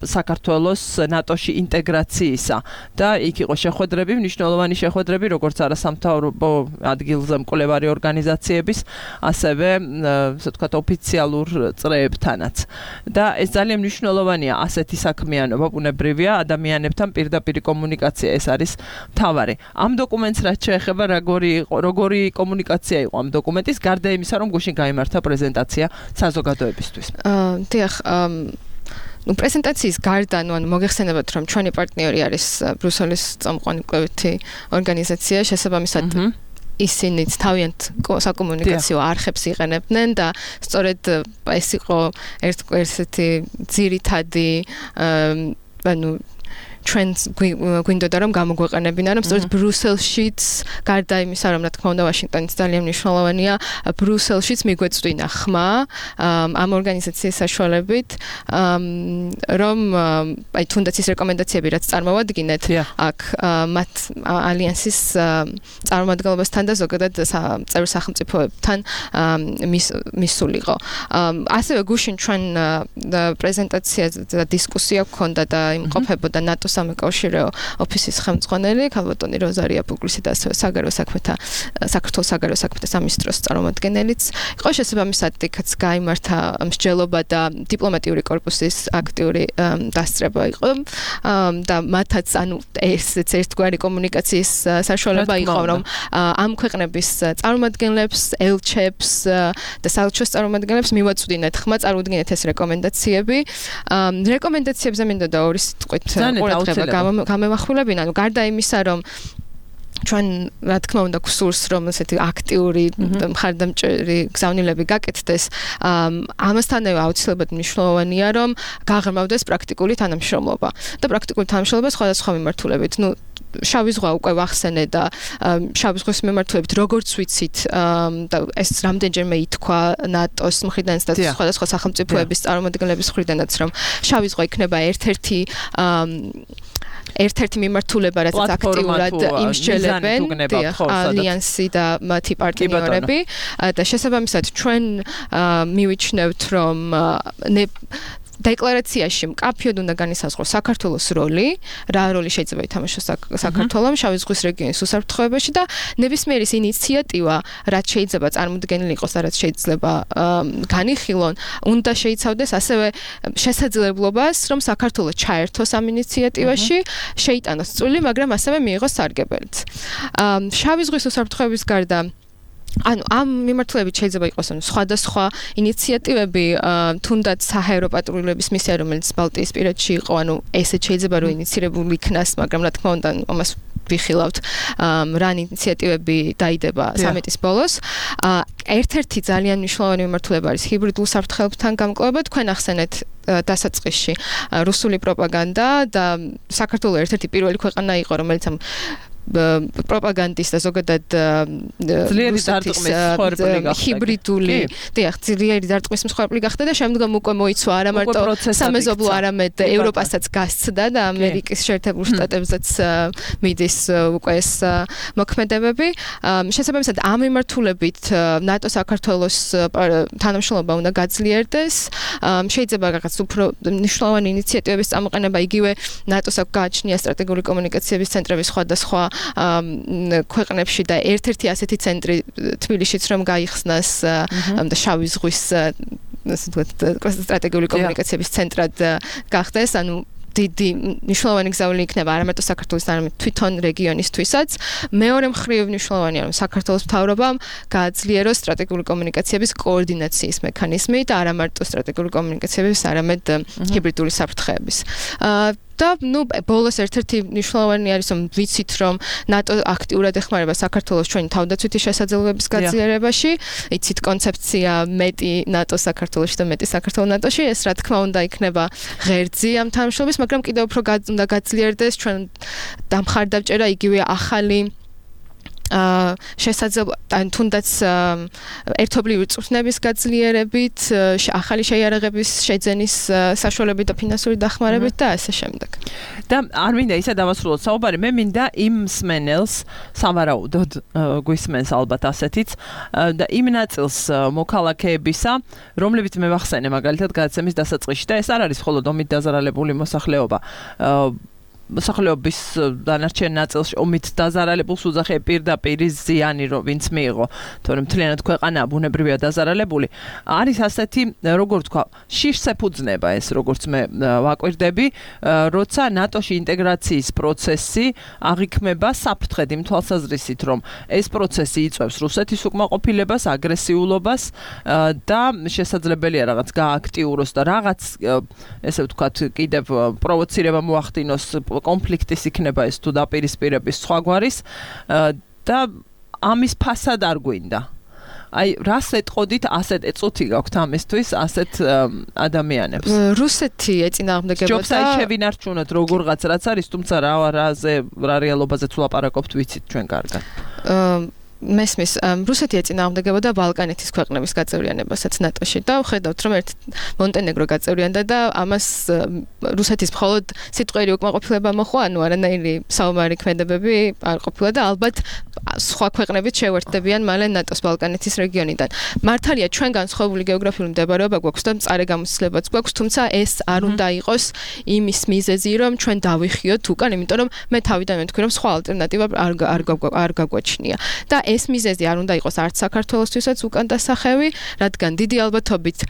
საქართველოს ნატოში ინტეგრაციისა და იქ იყო შეხვედრები, მნიშვნელოვანი შეხვედრები, როგორც არასამთავრობო ადგილზე მკვლევარი ორგანიზაციების, ასევე, ასე ვთქვათ, ოფიციალურ წრეებთანაც. და ეს ძალიან მნიშვნელოვანია, ასეთი საქმიანობა, ბუნებრივია, ადამიანებთან პირდაპირ კომუნიკაცია, ეს არის მთავარი. ამ დოკუმენტს რაც შეეხება, როგორი როგორი კომუნიკაცია იყო ამ დოკუმენტის, გარდა იმისა, რომ გუშინ გაიმართა პრეზენტაცია საზოგადოებისთვის. აა, დიახ, ნუ პრეზენტაციის გარდა, ნუ ანუ მოგეხსენებათ, რომ ჩვენი პარტნიორი არის ბრიუსელის წამყვანი კვლევითი ორგანიზაცია, შესაბამისად ისინიც თავიანთ საკომუნიკაციო არხებს იყენებდნენ და სწორედ ეს იყო ერთ-ერთი ძირითადი ანუ trends გვინდოდა რომ გამოგვეყენებინა რომ სწორედ ბრიუსელშიც გარდა იმისა რომ რა თქმა უნდა ვაშინგტონიც ძალიან მნიშვნელოვანია ბრიუსელშიც მიგვეწვინა ხმა ამ ორგანიზაციის საშუალებით რომ აი თუნდაც ის რეკომენდაციები რაც წარმოვადგინეთ აქ მათ ალიანსის წარმომადგენლობასთან და ზოგადად წევრ სახელმწიფოებთან მისულიყო ასევე გუშინ ჩვენ პრეზენტაცია და დისკუსია გქონდა და იმყოფებოდა ნატოს სამეკავშირეო ოფისის ხელმძღვანელი ქალბატონი როზარია პუგლისი და ასევე საგარეო საქმეთა საქართველოს საგარეო საქმეთა სამინისტროს წარმომადგენელიც იყო შესაბამისად იქაც გაიმართა მსჯელობა და დიპლომატიური კორპუსის აქტიური დასწრება იყო და მათაც ანუ ესეც ერთგვარი კომუნიკაციის საშუალება იყო რომ ამ ქვეყნების წარმომადგენლებს ელჩებს და საელჩოს წარმომადგენლებს მივაწვდინეთ ხმა წარმოუდგინეთ ეს რეკომენდაციები რეკომენდაციებზე მინდოდა ორი სიტყვით ყურადღება გამემახვილებინა, ანუ გარდა იმისა, რომ ჩვენ რა თქმა უნდა გსურს რომ ესეთი აქტიური მხარდამჭერი გზავნილები გაკეთდეს ამასთანავე აუცილებლად მნიშვნელოვანია რომ გაღრმავდეს პრაქტიკული თანამშრომლობა და პრაქტიკული თანამშრომლობა სხვადასხვა მიმართულებით ნუ შავი ზღვა უკვე ვახსენე და შავი ზღვის მიმართულებით როგორც ვიცით და ეს რამდენჯერმე ითქვა ნატოს მხრიდან და სხვადასხვა სახელმწიფოების წარმომადგენლების მხრიდანაც რომ შავი ზღვა იქნება ერთ-ერთი ერთ-ერთი მიმართულება, რაც აქტიურად იმსჯელებენ ალიანსი და მათი პარტნიორები და შესაბამისად ჩვენ მივიჩნევთ რომ დეკლარაციაში მკაფიოდ უნდა განისაზღვროს საქართველოს როლი, რა როლი შეიძლება ითამაშოს საქართველოს შავი ზღვის რეგიონის უსაფრთხოებაში და ნებისმიერი ის ინიციატივა, რაც შეიძლება წარმოდგენილი იყოს და რაც შეიძლება განიხილონ, უნდა შეიცავდეს ასევე შესაძლებლობას, რომ საქართველოს ჩაერთოს ამ ინიციატივაში, შეიტანოს წვლილი, მაგრამ ასევე მიიღოს სარგებელიც. შავი ზღვის უსაფრთხოების გარდა ანუ ამ მიმართულებით შეიძლება იყოს ანუ სხვადასხვა ინიციატივები თუნდაც საჰაერო პატრულების მისია რომელიც ბალტიისპირეთში იყო ანუ ესე შეიძლება რომ ინიცირებული იქნას მაგრამ რა თქმა უნდა ამას ვიხილავთ რა ინიციატივები დაიდება სამეტის ბოლოს ერთ-ერთი ძალიან მნიშვნელოვანი მიმართულება არის ჰიბრიდულ საფრთხეებთან გამკლობა თქვენ ახსენეთ დასაწყისში რუსული პროპაგანდა და საქართველოს ერთ-ერთი პირველი ქვეყანა იყო რომელიც ამ პროპაგანდის და ზოგადად ძლიერი დარტყმის მსხვერპლი გახდა. ჰიბრიდული, დიახ, ძლიერი დარტყმის მსხვერპლი გახდა და შემდგომ უკვე მოიცვა არა მარტო სამეზობლო, არამედ ევროპასაც გასცდა და ამერიკის შეერთებულ შტატებსაც მიდის უკვე ეს მოქმედებები. შესაბამისად, ამ მიმართულებით ნატო საქართველოს თანამშრომლობა უნდა გაძლიერდეს. შეიძლება რაღაც უფრო მნიშვნელოვანი ინიციატივების წამოყენება იგივე ნატოს აქვს გააჩნია სტრატეგიული კომუნიკაციების ცენტრების სხვადასხვა ქვეყნებში და ერთ-ერთი ასეთი ცენტრი თბილისშიც რომ გაიხსნას და შავი ზღვის ასე ვთქვათ სტრატეგიული კომუნიკაციების ცენტრად გახდეს ანუ დიდი მნიშვნელოვანი გზავნილი იქნება არა მარტო საქართველოს არამედ თვითონ რეგიონისთვისაც მეორე მხრივ მნიშვნელოვანია რომ საქართველოს მთავრობამ გააძლიეროს სტრატეგიული კომუნიკაციების კოორდინაციის მექანიზმი და არა მარტო სტრატეგიული კომუნიკაციების არამედ ჰიბრიდული საფრთხეების და ნუ ბოლოს ერთ-ერთი მნიშვნელოვანი არის რომ ვიცით რომ ნატო აქტიურად ეხმარება საქართველოს ჩვენი თავდაცვითი შესაძლებლობების გაძლიერებაში იცით კონცეფცია მეტი ნატო საქართველოში და მეტი საქართველოს ნატოში ეს რა თქმა უნდა იქნება ღერძი ამ თანამშრომლობის მაგრამ კიდევ უფრო უნდა გაძლიერდეს ჩვენ დამხარდავჭერა იგივე ახალი აა შესაძლებლობა თუნდაც ერთობლივი წვრთნების გაძლიერებით, ახალი შეიარაღების შეძენის საშუალებით და ფინანსური დახმარებით და ასე შემდეგ. და არ მინდა ისა დავასრულოთ საუბარი, მე მინდა იმ მსმენელს სავარაუდოდ გვისმენს ალბათ ასეთიც და იმ ნაწილს მოქალაქეებისა, რომლებიც მე ვახსენე მაგალითად გადაცემის დასაწყისში და ეს არ არის მხოლოდ ომით დაზარალებული მოსახლეობა. მოსახლეობის დანარჩენ ნაწილში ომით დაზარალებულს უძახე პირდაპირ ზიანი რომ ვინც მიიღო თორემ მთლიანად ქვეყანა ბუნებრივია დაზარალებული არის ასეთი როგორ თქვა შიშს ეფუძნება ეს როგორც მე ვაკვირდები როცა ნატოში ინტეგრაციის პროცესი აღიქმება საფრთხედ იმ თვალსაზრისით რომ ეს პროცესი იწვევს რუსეთის უკმაყოფილებას აგრესიულობას და შესაძლებელია რაღაც გააქტიუროს და რაღაც ესე ვთქვათ კიდევ პროვოცირება მოახდინოს კონფლიქტის იქნება ეს თუ დაპირისპირების სხვაგვარის და ამის ფასად არ გვინდა აი რას ეტყოდით ასეთ ეწუთი გაქვთ ამისთვის ასეთ ადამიანებს რუსეთი ეწინააღმდეგებოდა ჯობს აი შევინარჩუნოთ როგორღაც რაც არის თუმცა რა რაზე რა რეალობაზეც ვლაპარაკობთ ვიცით ჩვენ კარგად მესმის რუსეთი ეწინააღმდეგებოდა ბალკანეთის ქვეყნების გაწევრიანებასაც ნატოში და ვხედავთ რომ ერთ მონტენეგრო გაწევრიანდა და ამას რუსეთის მხოლოდ სიტყვიერი უკმაყოფილება მოხდა ანუ არანაირი საომარი ქმედებები არ ყოფილა და ალბათ სხვა ქვეყნებიც შევერთდებიან მალე ნატოს ბალკანეთის რეგიონიდან მართალია ჩვენ განსხვავებული გეოგრაფიული მდებარეობა გვაქვს და მწარე გამოცდილებაც გვაქვს თუმცა ეს არ უნდა იყოს იმის მიზეზი რომ ჩვენ დავიხიოთ უკან იმიტომ რომ მე თავიდან ვთქვი რომ სხვა ალტერნატივა არ არ გაგვაჩნია და ეს მიზეზი არ უნდა იყოს არც საქართველოსთვისაც უკან დასახევი, რადგან დიდი ალბათობით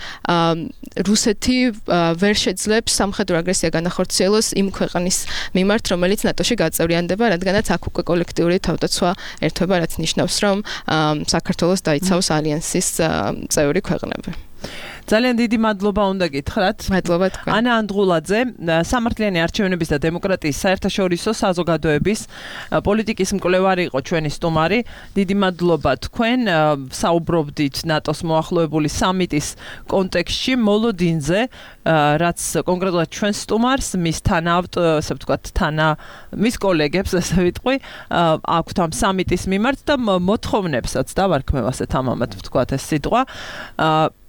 რუსეთი ვერ შეძლებს სამხედრო აგრესია განახორციელოს იმ ქვეყნის მიმართ, რომელიც ნატოში გაწევრიანდება, რადგანაც აქ უკვე კოლექტიური თავდაცვა ერთვება, რაც ნიშნავს, რომ საქართველოს დაიცავს ალიანსის წევრი ქვეყნები. ძალიან დიდი მადლობა უნდა გითხრათ. მადლობა თქვენ. ანა ანდღულაძე, სამართლიანი არჩევნების და დემოკრატიის საერთაშორისო საზოგადოების პოლიტიკის მკვლევარი იყო ჩვენი სტუმარი. დიდი მადლობა თქვენ. საუბრობდით ნატოს მოახლოებული სამიტის კონტექსტში მოლოდინზე, რაც კონკრეტულად ჩვენ სტუმარს, მის თანაავტორ, ასე ვთქვათ, თანა მის კოლეგებს, ასე ვიტყვი, აქვთ ამ სამიტის მიმართ და მოთხოვნებსაც დავარქმევ ასე თამამად ვთქვათ ეს სიტყვა.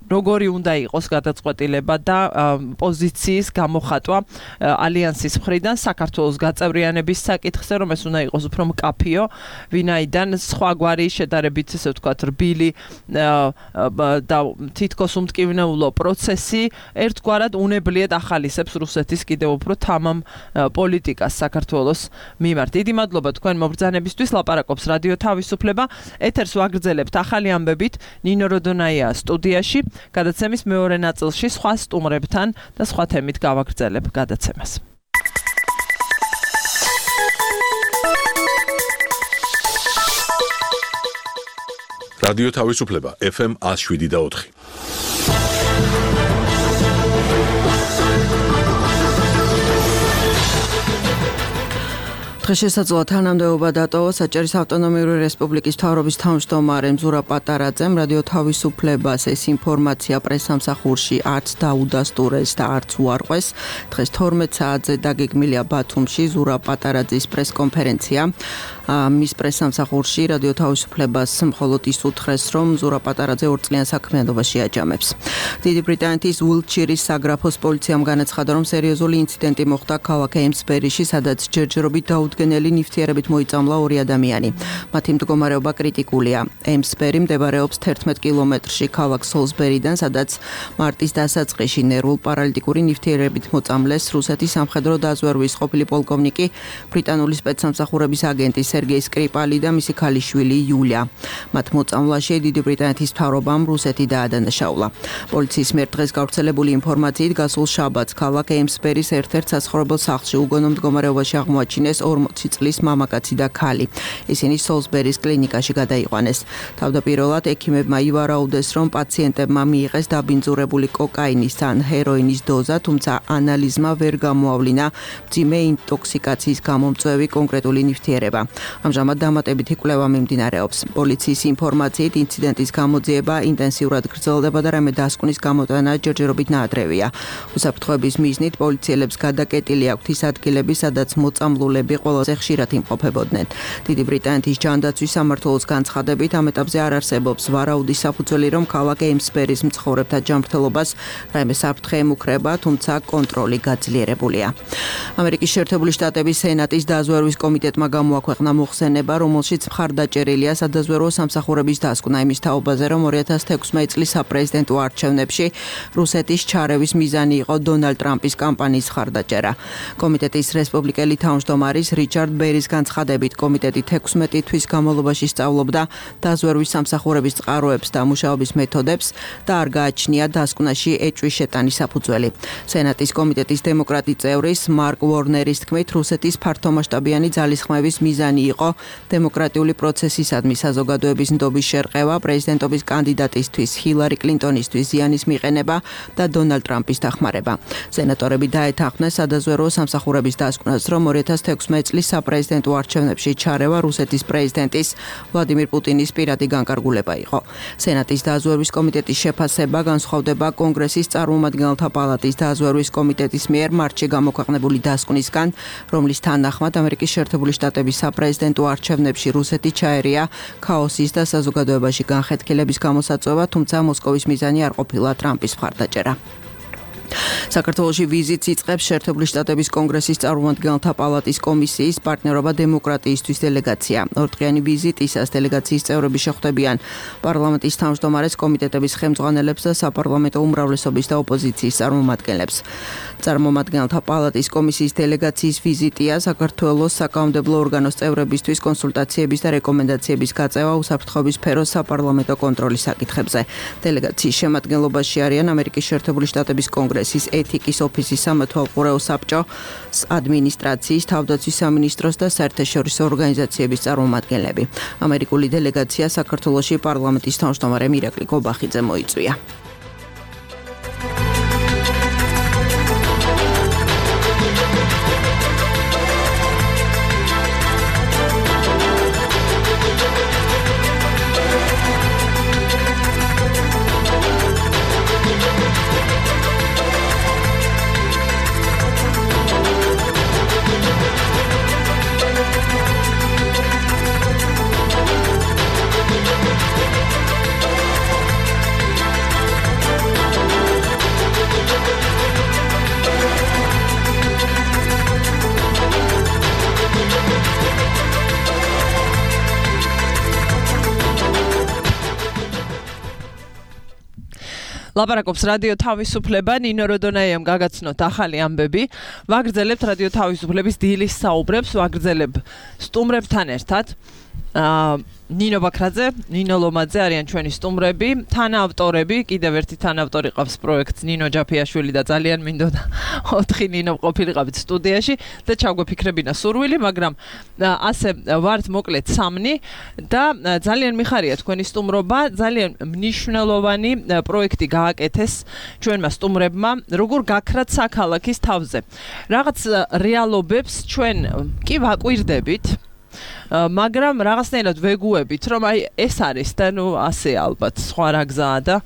როგორი უნდა იყოს გადაწყვეტილება და პოზიციის გამოხატვა ალიანსის მხრიდან საქართველოს გაწევრიანების საკითხზე, რომ ეს უნდა იყოს უფრო მკაფიო, ვინაიდან სხვაგვარი შედარებით, ესე ვთქვათ, რბილი და თითქოს უმტკივნეულო პროცესი ერთგვარად უნებლიეთ ახალისებს რუსეთის კიდევ უფრო თამამ პოლიტიკას საქართველოს მიმართ. დიდი მადლობა თქვენ მობრძანებისთვის, ლაპარაკობს რადიო თავისუფლება. ეთერს ვაგრძელებთ ახალი ამბებით, ნინო როდონაია სტუდიაში. გადაცემის მეორე ნაწილში სხვა სტუმრებთან და სხვა თემით გავაგრძელებ გადაცემას. რადიო თავისუფლება ეფ ემ one oh seven point four. შესაძლოა თანამდებობა დატოვა საჭირის ავტონომიური რესპუბლიკის მთავრობის თავმჯდომარემ ზურაბ პატარაძემ რადიო თავისუფლებას ეს ინფორმაცია პრესსამსახურში არც დაუდასტურეს და არც უარყვეს. დღეს თორმეტ საათზე დაგეგმილია ბათუმში ზურაბ პატარაძის პრესკონფერენცია. მის პრესსამსახურში რადიო თავისუფლებას მხოლოდ ის უთხრეს, რომ ზურაბ პატარაძე ორწლიან საქმიანობაში აჯამებს. დიდი ბრიტანეთის უილტშირის საგრაფოს პოლიციამ განაცხადა, რომ სერიოზული ინციდენტი მოხდა ქალაქ ეიმსბერიში, სადაც ჯერჯერობით დაუდგენელი ნივთიერებით მოიწამლა ორი ადამიანი. მათი მდგომარეობა კრიტიკულია. ეიმსბერი მდებარეობს თერთმეტ კილომეტრში ქალაქ სოლსბერიდან, სადაც მარტის დასაწყისში ნერვულ პარალიტიკური ნივთიერებით მოწამლეს რუსეთის სამხედრო დაზვერვის ყოფილი პოლკოვნიკი, ბრიტანული სპეცსამსახურების აგენტი სერგეი სკრიპალი და მისი ქალიშვილი იულია. მათ მოწამვლაში დიდი ბრიტანეთის მთავრობამ რუსეთი დაადანაშაულა. პოლიციის მიერ დღეს გავრცელებული ინფორმაციით გასულ შაბათს ქალაქ ეიმსბერის ერთ-ერთ საცხოვრებელ სახლში უგონო მდგომარეობაში აღმოაჩინეს ორმოცი წლის მამაკაცი და ქალი. ისინი სოლსბერის კლინიკაში გადაიყვანეს. თავდაპირველად ექიმებმა ივარაუდეს, რომ პაციენტებმა მიიღეს დაბინძურებული კოკაინის ან ჰეროინის დოზა, თუმცა ანალიზმა ვერ გამოავლინა მძიმე ინტოქსიკაციის გამომწვევი კონკრეტული ნივთიერება. ამჟამად დამატებითი კვლევა მიმდინარეობს. პოლიციის ინფორმაციით ინციდენტის გამოძიება ინტენსიურად გრძელდება და რამე დასკვნის გამოტანა ჯერჯერობით ნაადრევია. უსაფრთხოების მიზნით პოლიციელებს გადაკეტილი აქვთ ის ადგილები, სადაც მოწამლულები ყველაზე ხშირად იმყოფებოდნენ. დიდი ბრიტანეთის ჯანდაცვის სამმართველოს განცხადებით ამ ეტაპზე არ არსებობს ვარაუდის საფუძველი, რომ ქალაქ ეიმსბერის მცხოვრებთა ჯანმრთელობას რაიმე საფრთხე ემუქრება, თუმცა კონტროლი გაძლიერებულია. ამერიკის შეერთებული შტატების სენატის დაზვერვის კომიტეტმა გამოაქვეყნა მოხსენება, რომელშიც მხარდაჭერილია სადაზვერვო სამსახურების დასკვნა იმის თაობაზე, რომ ორი ათას თექვსმეტი წლის საპრეზიდენტო არჩევნებში რუსეთის ჩარევის მიზანი იყო დონალდ ტრამპის კამპანიის მხარდაჭერა. კომიტეტის რესპუბლიკელი თავმჯდომარის რიჩარდ ბერის განცხადებით, კომიტეტი თექვსმეტი თვის განმავლობაში სწავლობდა დაზვერვის სამსახურების წყაროებს და მუშაობის მეთოდებს და არ გააჩნია დასკვნაში ეჭვის შეტანის საფუძველი. სენატის კომიტეტის დემოკრატი წევრის მარკ ვორნერის თქმით, რუსეთის ფართომასშტაბიანი ძალისხმევის მიზანი იყო დემოკრატიული პროცესისადმი საზოგადოების ნდობის შერყევა, პრეზიდენტობის კანდიდატისთვის ჰილარი კლინტონისთვის ზიანის მიყენება და დონალდ ტრამპის დახმარება. სენატორები დაეთანხმნენ სადაზვერვო სამსახურების დასკვნას, რომ ორი ათას თექვსმეტი წლის საპრეზიდენტო არჩევნებში ჩარევა რუსეთის პრეზიდენტის ვლადიმირ პუტინის პირადი განკარგულება იყო. სენატის დაზვერვის კომიტეტის შეფასება განსხვავდება კონგრესის წარმომადგენელთა პალატის დაზვერვის კომიტეტის მიერ მარტში გამოქვეყნებული დასკვნისგან, რომლის თანახმად ამერიკის შეერთებული შტატების საპრეზიდენტო არჩევნებში რუსეთი ჩაერია ქაოსის და საზოგადოებაში განხეთქილების გამოსაწვევა, თუმცა მოსკოვის მიზანი არ ყოფილა ტრამპის მხარდაჭერა. საქართველოში ვიზიტს იწყებს შეერთებული შტატების კონგრესის წარმომადგენელთა პალატის კომისიის პარტნიორობა დემოკრატიისთვის დელეგაცია. ორდღიანი ვიზიტისას დელეგაციის წევრები შეხვდებიან პარლამენტის თავმჯდომარეს, კომიტეტების ხელმძღვანელებს და საპარლამენტო უმრავლესობის და ოპოზიციის წარმომადგენლებს. წარმომადგენელთა პალატის კომისიის დელეგაციის ვიზიტია საქართველოს საკანონმდებლო ორგანოს წევრებისთვის კონსულტაციების და რეკომენდაციების გაწევა უსაფრთხოების სფეროს საპარლამენტო კონტროლის საკითხებზე. დელეგაციის შემადგენლობაში არიან ამერიკის შეერთებული შტატების კონგრესის ეთიკის ოფისის სამეთვალყურეო საბჭოს ადმინისტრაციის, თავდაცვის სამინისტროს და საერთაშორისო ორგანიზაციების წარმომადგენლები. ამერიკული დელეგაცია საქართველოში პარლამენტის თავმჯდომარე მირაკლი გობახიძე მოიწვია. ლაპარაკობს რადიო თავისუფლება, ნინო როდონაიამ გაგაცნოთ ახალი ამბები. ვაგრძელებთ რადიო თავისუფლების დილის საუბრებს, ვაგრძელებ სტუმრებთან ერთად. აა ნინო ბაქრაძე, ნინო ლომაძე არიან ჩვენი სტუმრები, თანაავტორები, კიდევ ერთი თანაავტორი ყავს პროექტს ნინო ჯაფიაშვილი და ძალიან მინდოდა ოთხი ნინო ყოფილიყავით სტუდიაში და ჩაგვეფიქრებინა სურვილი, მაგრამ ასე ვართ მოკლედ სამნი და ძალიან მიხარია თქვენი სტუმრობა, ძალიან მნიშვნელოვანი პროექტი გააკეთეს ჩვენმა სტუმრებმა, როგორ გაქრათ საქალაქის თავზე. რაღაც რეალობებს ჩვენ კი ვაკვირდებით, მაგრამ რაღაცნაირად ვეგუებით, რომ აი ეს არის და ნუ ასე ალბათ სხვა რა გზაა და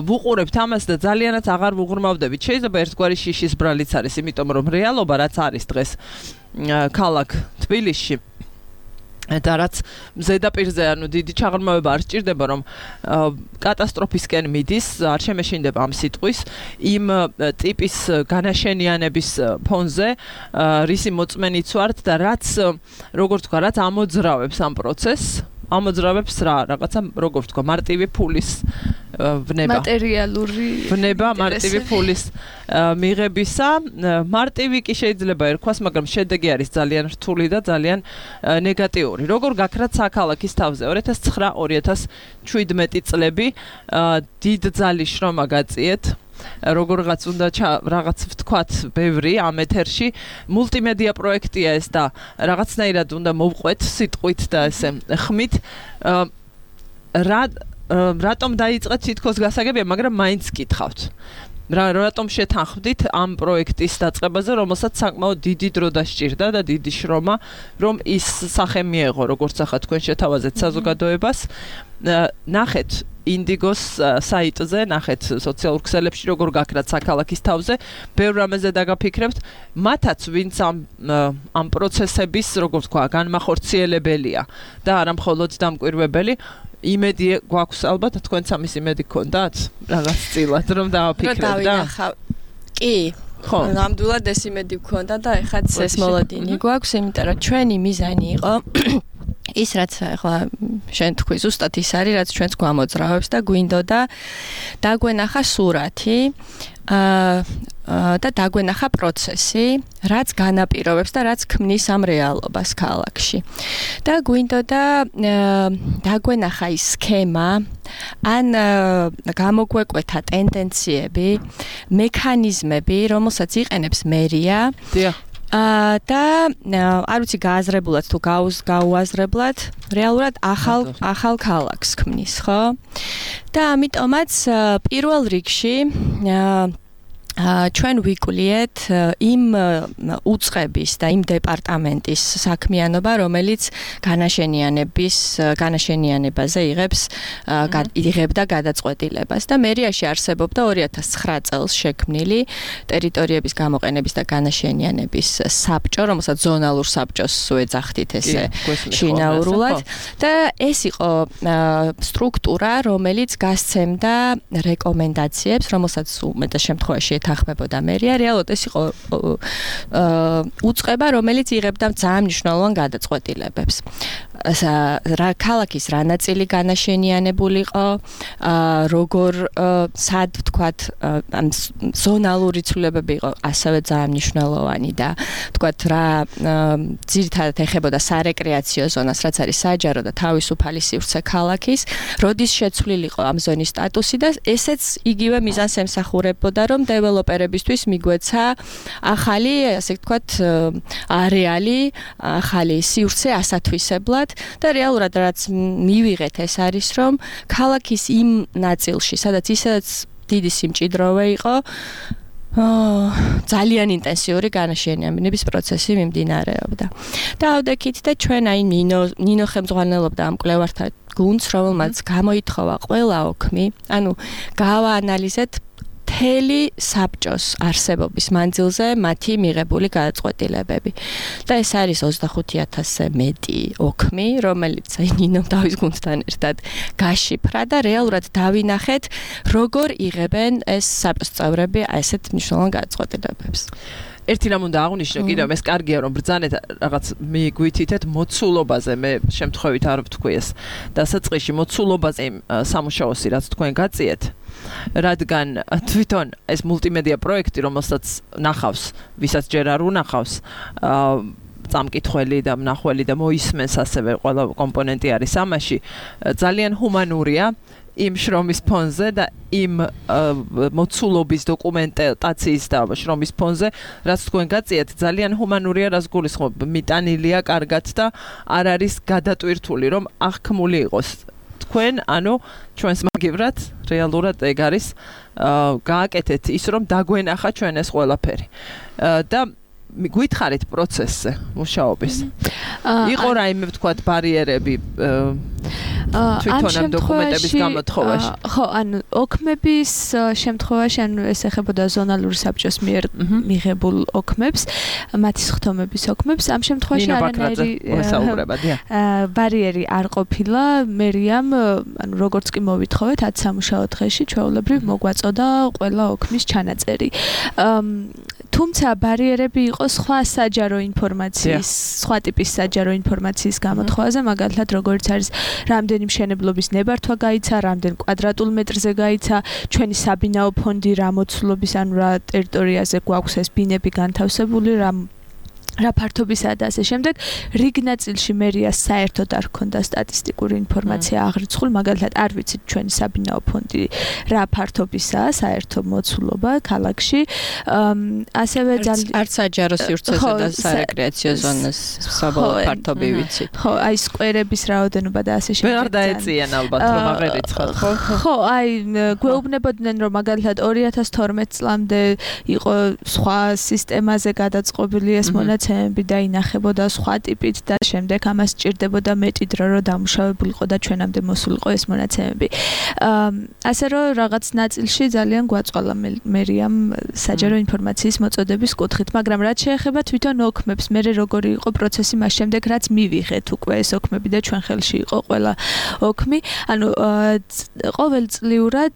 ვუყურებთ ამას და ძალიანაც აღარ ვუღრმავდებით. შეიძლება ერთგვარი შიშის ბრალიც არის, იმიტომ რომ რეალობა რაც არის დღეს ქალაქ თბილისში და რაც ზედაპირზე ანუ დიდი ჩაღრმავება არ სჭირდება, რომ კატასტროფისკენ მიდის, არ შემეშინდება ამ სიტყვის, იმ ტიპის განაშენიანების ფონზე, რისი მოწმენიც ვართ და რაც როგორ თქვა, რაც ამოძრავებს ამ პროცესს, ამოძრავებს რა, რაღაცა როგორ თქვა, მარტივი ფულის ვნება. მატერიალური ვნება მარტივი ფულის მიღებისა. მარტივი კი შეიძლება ერქვას, მაგრამ შედეგი არის ძალიან რთული და ძალიან ნეგატიური. როგორ გაქრათ საქალაქის თავზე? ორი ათას ცხრა ორი ათას შვიდმეტი წლები დიდ ძალის შრომა გაწიეთ. როგორღაც უნდა რაღაც ვთქვათ ბევრი ამ ეთერში მულტიმედია პროექტია ეს და რაღაცნაირად უნდა მოვყვეთ სიტყვით და ესე ხმით რა რატომ დაიწყეთ თითქოს გასაგებია, მაგრამ მაინც გითხავთ. რა რატომ შეთანხმდით ამ პროექტის დაწყებაზე, რომელსაც საკმაოდ დიდი დრო დასჭირდა და დიდი შრომა, რომ ის სახე მიეღო, როგორც ახლა თქვენ შეთავაზეთ საზოგადოებას. ნახეთ ინდიგოს საიტზე, ნახეთ სოციალურ ქსელებში, როგორ გაქრათ საქალაქის თავზე, ბევრ რამეზე დაგაფიქრებთ, მათაც ვინც ამ ამ პროცესების, როგორ ვთქვა, განმახორციელებელია და არა მხოლოდ დამკვირვებელი. იმედი გვაქვს ალბათ, თქვენც ამის იმედი გქონდათ? რაღაც წილად რომ დავაფიქრეთ და კი, ხო, ნამდვილად ეს იმედი გქონდა და ეხაც ეს მოლოდინი გვაქვს, იმიტომ რომ ჩვენი მიზანი იყო ის რაც ახლა შენ თქვი ზუსტად ის არის რაც ჩვენს გვამოძრავებს და გვინდოდა დაგვენახა სურათი აა და დაგვენახა პროცესი, რაც განაპირობებს და რაც ქმნის ამ რეალობას ქალაქში. და გვინდოდა დაგვენახა ის სქემა, ან გამოგვეკვეთა ტენდენციები, მექანიზმები, რომელსაც იყენებს მერია. დიახ. აა და არ ვიცი გააზრებულად თუ გაუაზრებლად რეალურად ახალ ახალ ქალაქს ქმნის, ხო? და ამიტომაც პირველ რიგში ჩვენ ვიკვლიეთ იმ უწყების და იმ დეპარტამენტის საქმიანობა, რომელიც განაშენიანების განაშენიანებაზე იღებს იღებდა გადაწყვეტილებას და მერიაში არსებობდა ორი ათას ცხრა წელს შექმნილი ტერიტორიების გამოყენების და განაშენიანების საბჭო, რომელსაც ზონალურ საბჭოს ეძახდით ესე შინაურულად და ეს იყო სტრუქტურა, რომელიც გასცემდა რეკომენდაციებს, რომელსაც უმეტეს შემთხვევაში ეთანხმებოდა მერია, რეალურად ეს იყო უწყება, რომელიც იღებდა ძალიან მნიშვნელოვან გადაწყვეტილებებს. რა ქალაქის რა ნაწილი განაშენიანებული იყო, როგორ სად ვთქვათ, ზონალური ცვლილებები იყო ასევე ძალიან მნიშვნელოვანი და ვთქვათ რა ძირითადად ეხებოდა სარეკრეაციო ზონას, რაც არის საჯარო და თავისუფალი სივრცე ქალაქის, როდის შეცვლილი იყო ამ ზონის სტატუსი და ესეც იგივე მიზანს ემსახურებოდა, რომ დეველოპერებისთვის მიგვეცა ახალი, ასე ვთქვათ, არეალი, ახალი სივრცე ასათვისებლად და რეალურად რაც მივიღეთ ეს არის, რომ ქალაქის იმ ნაწილში, სადაც ისედაც დიდი სიმჭიდროვე იყო, ძალიან ინტენსიური განაშენიანების პროცესი მიმდინარეობდა. და ავდექით და ჩვენ აი ნინო ნინო ხელმძღვანელობდა ამ კვლევართა გუნდს, რომელმაც გამოითხოვა ყველა ოქმი, ანუ გავაანალიზეთ მთელი საბჭოს არსებობის მანძილზე მათი მიღებული გადაწყვეტილებები. და ეს არის ოცდახუთი ათასზე მეტი ოქმი, რომელიც ნინომ დავის გუნდთან ერთად გაშიფრა და რეალურად დავინახეთ, როგორ იღებენ ეს საბჭოს წევრები ესეთ მნიშვნელოვან გადაწყვეტილებებს. ერთი რამ უნდა აღვნიშნო კიდევ, ეს კარგია რომ ბრძანეთ რაღაც მიგვითითეთ მოცულობაზე, მე შემთხვევით არ ვთქვი ეს დასაწყისში მოცულობაზე სამუშაოსი რაც თქვენ გაწიეთ. რადგან თვითონ ეს მულტიმედია პროექტი, რომელსაც ნახავს, ვისაც ჯერ არ უნახავს, წამკითხველი და მნახველი და მოისმენს ასევე ყველა კომპონენტი არის ამაში, ძალიან ჰუმანურია იმ შრომის ფონზე და იმ მოცულობის დოკუმენტაციის და შრომის ფონზე, რაც თქვენ გაწიეთ, ძალიან ჰუმანურია, რაც გულისხმობ, მიტანილია კარგად და არ არის გადატვირთული, რომ აღქმული იყოს თქვენ, ანუ ჩვენს მაგივრად რეალურად ეგ არის გააკეთეთ ის, რომ დაგვენახა ჩვენ ეს ყველაფერი. და გითხარით პროცესზე მუშაობის. იყო რაიმე ვთქვათ ბარიერები თვითონ ამ დოკუმენტების გამოთხოვაში. ხო, ანუ ოქმების შემთხვევაში, ანუ ეს ეხებოდა ზონალური საბჭოს მიერ მიღებულ ოქმებს, მათი სხდომების ოქმებს, ამ შემთხვევაში არანაირი ბარიერი არ ყოფილა, მერიამ, ანუ როგორც კი მოვითხოვეთ ათ სამუშაო დღეში, ჩვეულებრივ მოგვაწოდა ყველა ოქმის ჩანაწერი. თუმცა ბარიერები იყო სხვა საჯარო ინფორმაციის, სხვა ტიპის საჯარო ინფორმაციის გამოთხოვაზე, მაგალითად, როგორც არის რამდენი მშენებლობის ნებართვა გაიცა, რამდენ კვადრატულ მეტრზე გაიცა, ჩვენი საბინაო ფონდი რა მოცულობის, ანუ რა ტერიტორიაზე გვაქვს ეს ბინები განთავსებული, რა რა ფართობისა და ასე შემდეგ, რიგ ნაწილში მერიას საერთოდ არ ჰქონდა სტატისტიკური ინფორმაცია აღრიცხული, მაგალითად არ ვიცით ჩვენი საბინაო ფონდი რა ფართობისაა საერთო მოცულობა ქალაქში. ასევე ძალიან არც საჯარო სივრცესა და სარეკრეაციო ზონას საბოლოო ფართობი ვიცით. ხო, აი სკვერების რაოდენობა და ასე შემდეგ. ვერ დაეწიან ალბათ რომ აღერიცხათ, ხო? ხო, აი გვეუბნებოდნენ რომ მაგალითად ორი ათას თორმეტ წლამდე იყო სხვა სისტემაზე გადაწყობილი ეს მონაცემები მონაცემები და ინახებოდა სხვა ტიპით და შემდეგ ამას ჭირდებოდა მეტი დრო რომ დამუშავებულიყო და ჩვენამდე მოსულიყო ეს მონაცემები. ასე რომ რაღაც ნაწილში ძალიან გვაწვალა მერიამ საჯარო ინფორმაციის მოწოდების კუთხით, მაგრამ რაც შეეხება თვითონ ოქმებს, მე როგორი იყო პროცესი მას შემდეგ რაც მივიღეთ უკვე ეს ოქმები და ჩვენ ხელში იყო ყველა ოქმი, ანუ ყოველწლიურად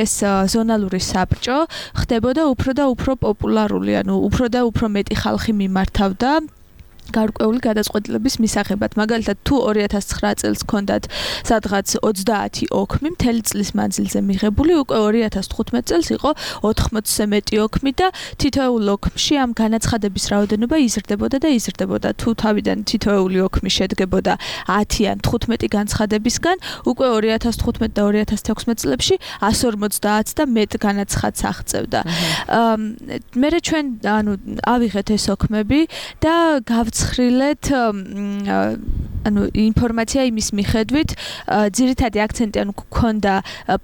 ეს ზონალური საბჭო ხდებოდა უფრო და უფრო პოპულარული, ანუ უფრო და უფრო მეტი ხალხი მიმართავდა გარკვეული გადაწყვეტილების მისაღებად. მაგალითად, თუ ორი ათას ცხრა წელს ჰქონდათ სადღაც ოცდაათი ოქმი მთელი წლის მანძილზე მიღებული, უკვე ორი ათას თხუთმეტ წელს იყო ოთხმოცზე მეტი ოქმი და თითოეულ ოქმში ამ განაცხადების რაოდენობა იზრდებოდა და იზრდებოდა. თუ თავიდან თითოეული ოქმი შედგებოდა ათი ან თხუთმეტი განცხადებისგან, უკვე ორი ათას თხუთმეტ და ორი ათას თექვსმეტ წლებში εκατს ორმოცდაათს და მეტ განაცხადს აღწევდა. მერე ჩვენ ანუ ავიღეთ ეს ოქმები და გავცხრილეთ ანუ ინფორმაცია იმის მიხედვით, ძირითადი აქცენტი ანუ გქონდა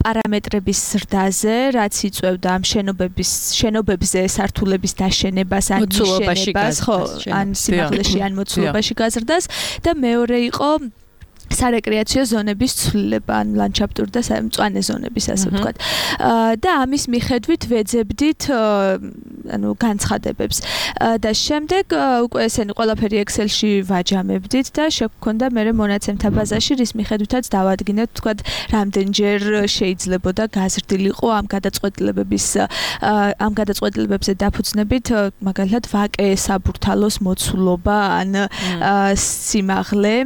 პარამეტრების ზრდაზე, რაც იწვევდა ამ შენობების შენობებზე სართულების დაშენებას ან ნიშნებას, ხო, ან სიმაღლეში ან მოცულობაში გაზრდას და მეორე იყო სარეკრეაციო ზონების ცვლილება, ან ლანდშაფტური და მწვანე ზონების, ასე ვთქვათ. და ამის მიხედვით ვეძებდით ანუ განცხადებებს. და შემდეგ უკვე ესენი ყველაფერი Excel-ში ვაჯამებდით და შეგვქონდა მერე მონაცემთა ბაზაში, რის მიხედვითაც დავადგინეთ, ვთქვათ, რამდენჯერ შეიძლებოდა გაზრდილიყო ამ გადაწყვეტილებების ამ გადაწყვეტილებებზე დაფუძნებით, მაგალითად, ვაკე საბურთალოს მოცულობა ან სიმაღლე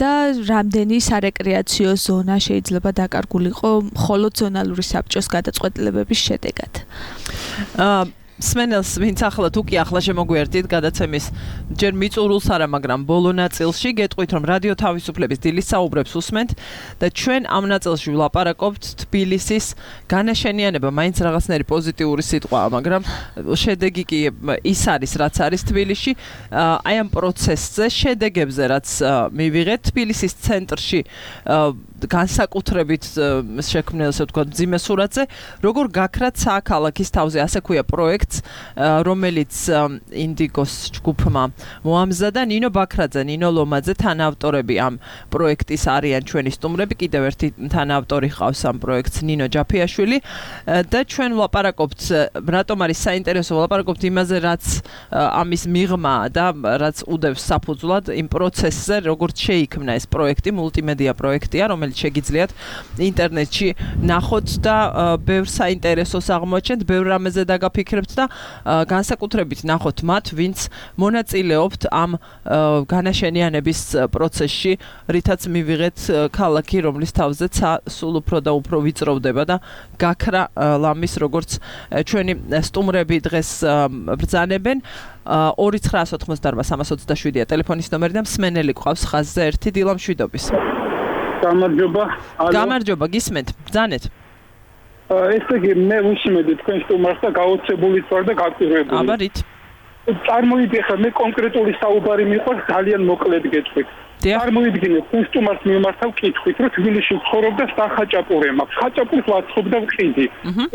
და რამდენი სარეკრეაციო ზონა შეიძლება დაკარგულიყო მხოლოდ ზონალური საბჭოს გადაწყვეტილებების შედეგად. აა სმენელს ვინც ახლა თუ კი ახლა შემოგვიერთით გადაცემის ჯერ მიწურულს არა, მაგრამ ბოლო ნაწილში გეტყვით, რომ რადიო თავისუფლების დილის საუბრებს უსმენთ და ჩვენ ამ ნაწილში ვლაპარაკობთ თბილისის განაშენიანება, მაინც რაღაცნაირი პოზიტიური სიტყვაა, მაგრამ შედეგი კი ის არის, რაც არის თბილისში, აი ამ პროცესზე, შედეგებზე, რაც მივიღეთ თბილისის ცენტრში განსაკუთრებით შექმნილ, ასე ვთქვათ, მძიმე სურათზე, როგორ გაქრათ საქალაქის თავზე, ასე ქვია პროექტს, რომელიც ინდიგოს ჯგუფმა მოამზადა. ნინო ბაქრაძე, ნინო ლომაძე თანაავტორები ამ პროექტის არიან ჩვენი სტუმრები, კიდევ ერთი თანაავტორი ყავს ამ პროექტს ნინო ჯაფიაშვილი და ჩვენ ვლაპარაკობთ, რატომ არის საინტერესო, ვლაპარაკობთ იმაზე, რაც ამის მიღმა და რაც უდევს საფუძვლად იმ პროცესზე, როგორც შეიქმნა ეს პროექტი, მულტიმედია პროექტია, რომელიც შეგიძლიათ ინტერნეტში ნახოთ და ბევრ საინტერესოს აღმოაჩენთ, ბევრ რამეზე დაგაფიქრებთ და განსაკუთრებით ნახოთ მათ, ვინც მონაწილეობთ ამ განაშენიანების პროცესში, რითაც მივიღეთ ქალაქი, რომლის თავზეც სულ უფრო და უფრო ვიწროვდება და გაქრა ლამის, როგორც ჩვენი სტუმრები დღეს ბრძანებენ. ორი ცხრაას ოთხმოცდაარბა სამას ოცდაშვიდია ტელეფონის ნომერი და მსმენელი ყავს ხაზზე ერთი დილა მშვიდობის. გამარჯობა. გამარჯობა, გისმენთ, ბრძანეთ. ესე იგი, მე ვუსმენდი თქვენ სტუმარს და გაოცებულიც ვარ და გაკურებული. აბა რით? წარმოვიდგინე ხა მე კონკრეტული საუბარი მიყვარს, ძალიან მოკლედ გეტყვით. წარმოვიდგინე თქვენ სტუმარს მიმართავ კითხვით, რომ თბილისში ვცხოვრობ და სახაჭაპური მაქვს. ხაჭაპურს ვაცხობ და ვყიდი.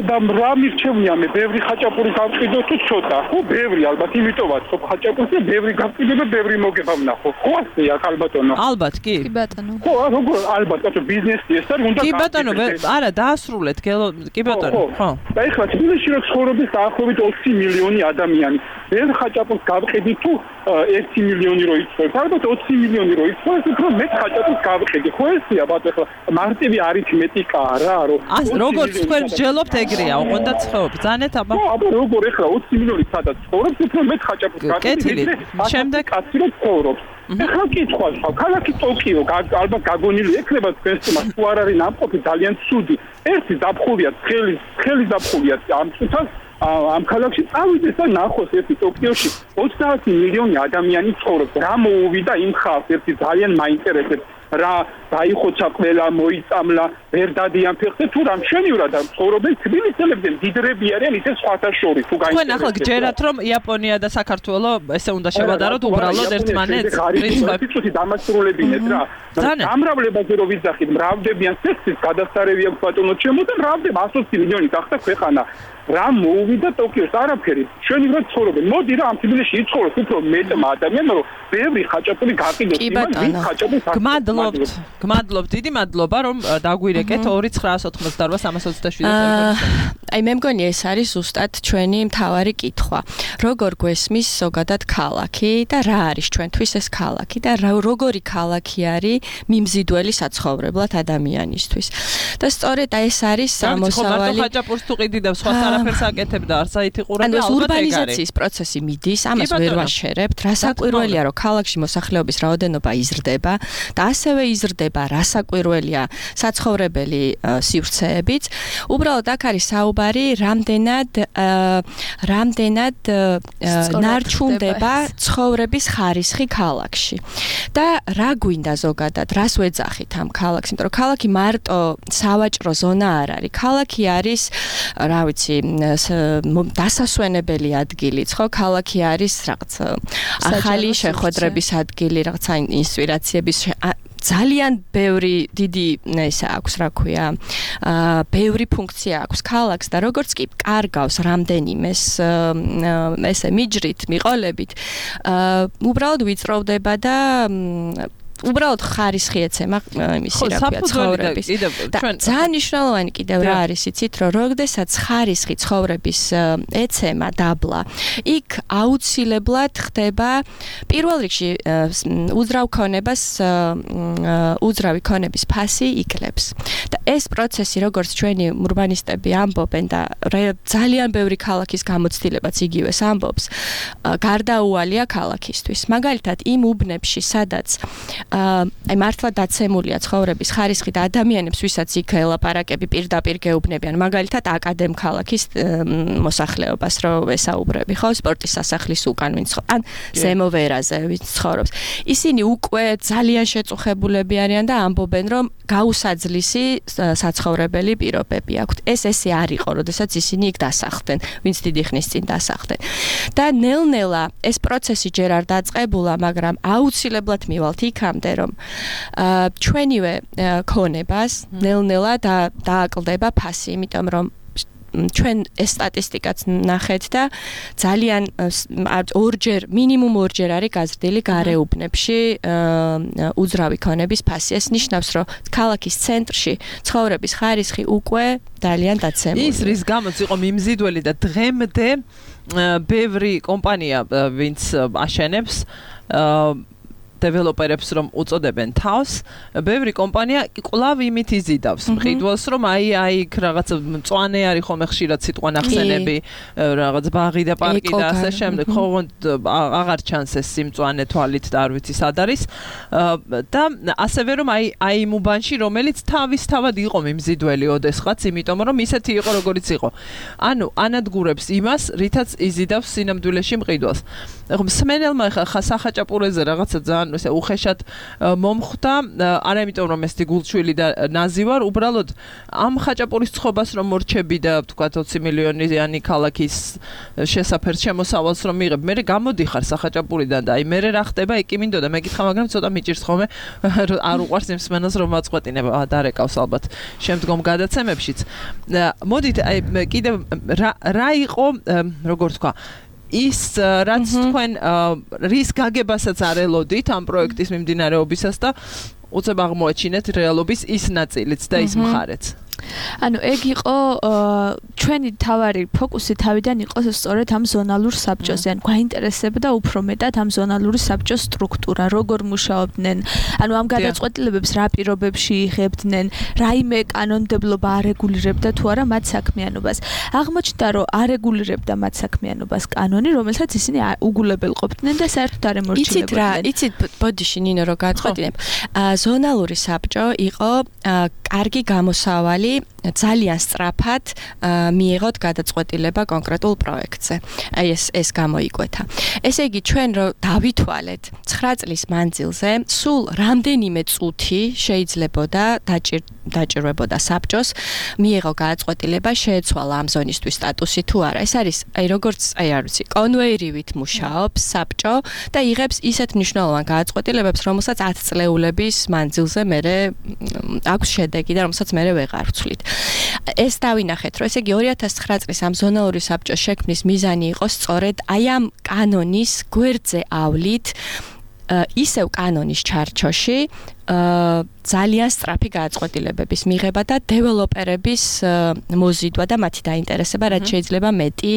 და რა მირჩევნია მე, ბევრი ხაჭაპური გავყიდო თუ ცოტა? ხო, ბევრი ალბათ, იმიტომ ვაცხობ ხაჭაპურს და ბევრი გავყიდო და ბევრი მოგება ვნახო. ხო, ასეა ალბათონო. ალბათ, კი. კი ბატონო. ხო, როგორ ალბათ, ბატონო, ბიზნესი ეს არის, უნდა კი ბატონო, არა, დაასრულეთ, კი ბატონო, ხო. და ეხლა თბილისში რო ცხოვრობს დაახლოებით ოცი მილიონი ადამიანი. ეს ხაჭაპურს გავყიდი თუ ერთი მილიონი რო იცხოვს, ალბათ ოცი მილიონი რო იცხოვს, უფრო მეტ ხაჭაპურს გავყიდი. ხო ესეა ბატონო, ეხლა მარტივი არითმეტიკაა რა, რომ ას როგორც თქვენ მსჯელობთ ეგრეა, ოღონდ ცხოვრობ, ბრძანეთ აბა. ხო, აბა როგორ ეხლა ოცი მილიონი სადაც ცხოვრობს, უფრო მეტ ხაჭაპურს გავყიდი. შემდეგ კაცი რო ცხოვრობს. ეხლა კითხვა, ქალაქი ტოკიო, ალბათ გაგონილი ექნება თქვენს თემას, თუ არ არის ნამყოფი ძალიან ცუდი. ერთი ზაფხულია, ცხელი, ცხელი ზაფხულია ამ წუთას ამ ქალაქში წავიდეს და ნახოს ერთი ტოკიოში ოცდაათი მილიონი ადამიანი ცხოვრობს. რა მოუვიდა იმ ხალხს, ერთი ძალიან მაინტერესებს. რა დაიხოცა ყველა მოიწამლა ვერ დადიან ფეხზე თუ რამ შენივრად და ცხოვრობენ თბილისელებზე დიდრები არიან ისე სხვათა შორის თუ გაიგეთ თქვენ ახლა გჯერათ რომ იაპონია და საქართველო ესე უნდა შევადაროთ უბრალოდ ერთმანეთს პრინციპით დამასრულებინეთ რა გამრავლებაზე რო ვიძახით მრავდებიან სექსის გადასარევი აქვს ბატონო ჩემო და მრავდება ათოცი მილიონი გახდა ქვეყანა რა მოუვიდა ტოკიოს არაფერი შენივრად ცხოვრობენ მოდი რა ამ თბილისში იცხოვროთ უფრო მეტმა ადამიანმა რომ ბევრი ხაჭაპური გაყიდოს იმან ვინ ხაჭაპურს გმადლობთ გმადლობთ დიდი მადლობა რომ დაგვირეკეთ ორი ცხრაას ოცდაოთხ სამას ოცდაშვიდ აი მე მგონი ეს არის ზუსტად ჩვენი მთავარი კითხვა როგორ გვესმის ზოგადად ქალაქი და რა არის ჩვენთვის ეს ქალაქი და როგორი ქალაქი არის მიმზიდველი საცხოვრებლად ადამიანისთვის და სწორედ ეს არის სამოსავალი ხაჭაპურს თუ ყიდიდებს სხვა არაფერს აკეთებდა არც აითი ყურები ალბათ ურბანიზაციის პროცესი მიდის ამას ვერ ვაშერებთ რასაკვირველია რომ ქალაქში მოსახლეობის რაოდენობა იზრდება და ასევე იზრდება რასაკვირველია საცხოვრებელი სივრცეებიც უბრალოდ აქ არის საუბარი რამდენად რამდენად ნარჩუნდება ცხოვრების ხარისხი ქალაქში და რა გვინდა ზოგადად რას ვეძახით ამ ქალაქს იმიტომ რომ ქალაქი მარტო სავაჭრო ზონა არ არის ქალაქი არის რა ვიცი დასასვენებელი ადგილიც ხო ქალაქი არის რაღაც ახალი შეხვედრების ადგილი რაღაცა ინსპირაციების ძალიან ბევრი დიდი ესა აქვს რა ქვია ბევრი ფუნქცია აქვს ქალაქს და როგორც კი კარგავს რამდენიმეს ესე მიჯრით მიყოლებით უბრალოდ ვიწროვდება და უბრალოდ ხარისხი ეცემა იმისი რა ქვია ცხოვრების და ძალიან მნიშვნელოვანი კიდევ რა არის იცით რომ როდესაც ხარისხი ცხოვრების ეცემა დაბლა იქ აუცილებლად ხდება პირველ რიგში უძრავ ქონებას უძრავი ქონების ფასი იკლებს და ეს პროცესი როგორც ჩვენი ურბანისტები ამბობენ და ძალიან ბევრი ქალაქის გამოცდილებაც იგივეს ამბობს გარდაუვალია ქალაქისთვის მაგალითად იმ უბნებში სადაც აი მართლა დაცემულია ცხოვრების ხარისხი და ადამიანებს ვისაც იქ ელაპარაკები პირდაპირ გეუბნებიან მაგალითად აკადემ ქალაქის მოსახლეობას რო ესაუბრები ხო სპორტის სასახლის უკან ვინც ან ზემო ვერაზე ვინც ცხოვრობს ისინი უკვე ძალიან შეწუხებულები არიან და ამბობენ რომ გაუსაძლისი საცხოვრებელი პირობები აქვთ ეს ესე არ იყო როდესაც ისინი იქ დასახლდნენ ვინც დიდი ხნის წინ დასახლდნენ და ნელ-ნელა ეს პროცესი ჯერ არ დაწყებულა მაგრამ აუცილებლად მივალთ იქამდე რომ ჩვენივე ქონებას ნელ-ნელა დააკლდება ფასი იმიტომ რომ ჩვენ ეს სტატისტიკაც ნახეთ და ძალიან ორჯერ მინიმუმ ორჯერ არის გაზრდილი გარეუბნებში უძრავი ქონების ფასი ეს ნიშნავს რომ ქალაქის ცენტრში ცხოვრების ხარისხი უკვე ძალიან დაცემულია ის რის გამოც იყო მიმზიდველი და დღემდე ბევრი კომპანია ვინც აშენებს დეველოპერებს რომ უწოდებენ თავს, ბევრი კომპანია კვლავ იმით იზიდავს მყიდველს, რომ აი აი რაღაც მწვანე არის ხომ ხშირად სიტყვა ნახსენები, რაღაც ბაღი და პარკი და ასე შემდეგ, ხო აღარ ჩანს ეს სიმწვანე თვალით და არ ვიცი სად არის და ასევე რომ აი აი იმ უბანში რომელიც თავისთავად იყო მიმზიდველი ოდესღაც, იმიტომ რომ ისეთი იყო როგორიც იყო. ანუ ანადგურებს იმას, რითაც იზიდავს სინამდვილეში მყიდველს. ხო მსმენელმა ხა სახაჭაპურეზე რაღაცა ძალიან ესე უხეშად მომხვდა, არა იმიტომ რომ ეს გულჩვილი და ნაზი ვარ, უბრალოდ ამ ხაჭაპურის ცხობას რომ მორჩები და თქვა ოცი მილიონიანი ქალაქის შესაფერს შემოსავალს რომ მიღებ, მე გამოდიხარ სახაჭაპურიდან და აი მე რა ხდება, იქ მინდოდა მეკითხა, მაგრამ ცოტა მიჭირს ხოლმე არ უყვარს იმ მსმენელს რომ აწყვეტინება, დარეკავს ალბათ შემდგომ გადაცემებშიც. მოდით აი კიდევ რა იყო, როგორ თქვა ის რაც თქვენ რის გაგებასაც არ ელოდით ამ პროექტის მიმდინარეობისას და უცებ აღმოაჩინეთ რეალობის ის ნაწილიც და ის მხარეც. ანუ ეგ იყო ჩვენი თავარი ფოკუსი თავიდან იყო სწორედ ამ ზონალურ საბჭოზე. ან გვაინტერესებდა უფრო მეტად ამ ზონალური საბჭოს სტრუქტურა, როგორ მუშაობდნენ, ანუ ამ გადაწყვეტილებებს რა პირობებში იღებდნენ, რაიმე კანონმდებლობა არეგულირებდა თუ არა მათ საქმიანობას. აღმოჩნდა, რომ არეგულირებდა მათ საქმიანობას კანონი, რომელსაც ისინი უგულებელყოფდნენ და საერთოდ არ ემორჩილებოდნენ. იცით რა, იცით ბოდიში ნინო რო გააწყვეტინებ. ზონალური საბჭო იყო კარგი გამოსავალი ხელი ძალიან სწრაფად მიიღოთ გადაწყვეტილება კონკრეტულ პროექტზე. აი ეს ეს გამოიკვეთა. ესე იგი ჩვენ რო დავითვალეთ ცხრა წლის მანძილზე სულ რამდენიმე წუთი შეიძლებოდა დაჭირვებოდა საბჭოს მიიღო გადაწყვეტილება შეეცვალა ამ ზონისთვის სტატუსი თუ არა. ეს არის აი როგორც აი არ ვიცი კონვეირივით მუშაობს საბჭო და იღებს ისეთ მნიშვნელოვან გადაწყვეტილებებს, რომელსაც ათი წლეულების მანძილზე მერე აქვს შედეგი და რომელსაც მერე ვეღარ ვცვლით. ეს დავინახეთ, რომ ესე იგი ორი ათას ცხრა წლის ამ ზონალური საბჭოს შექმნის მიზანი იყო სწორედ აი ამ კანონის გვერდზე ავლით ისევ კანონის ჩარჩოში ძალიან სწრაფი გადაწყვეტილებების მიღება და დეველოპერების მოზიდვა და მათი დაინტერესება, რაც შეიძლება მეტი,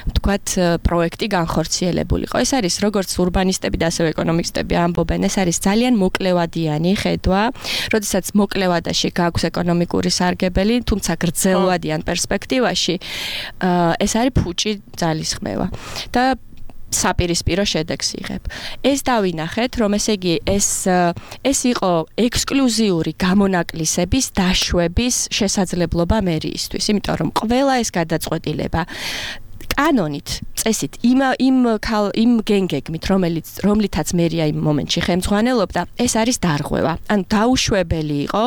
ვთქვათ, პროექტი განხორციელებულიყო. ეს არის როგორც ურბანისტები და ასევე ეკონომისტები ამბობენ, ეს არის ძალიან მოკლევადიანი ხედვა, როდესაც მოკლევადაში გაქვს ეკონომიკური სარგებელი, თუმცა გრძელვადიან პერსპექტივაში ეს არის ფუჭი ძალისხმევა. და საპირისპირო შედეგს იღებ. ეს დავინახეთ, რომ ესე იგი ეს ეს იყო ექსკლუზიური გამონაკლისების დაშვების შესაძლებლობა მერიისთვის, იმიტომ რომ ყველა ეს გადაწყვეტილება კანონით, წესით, იმ იმ იმ გენგეგმით, რომელიც რომლითაც მერია იმ მომენტში ხელმძღვანელობდა, ეს არის დარღვევა. ანუ დაუშვებელი იყო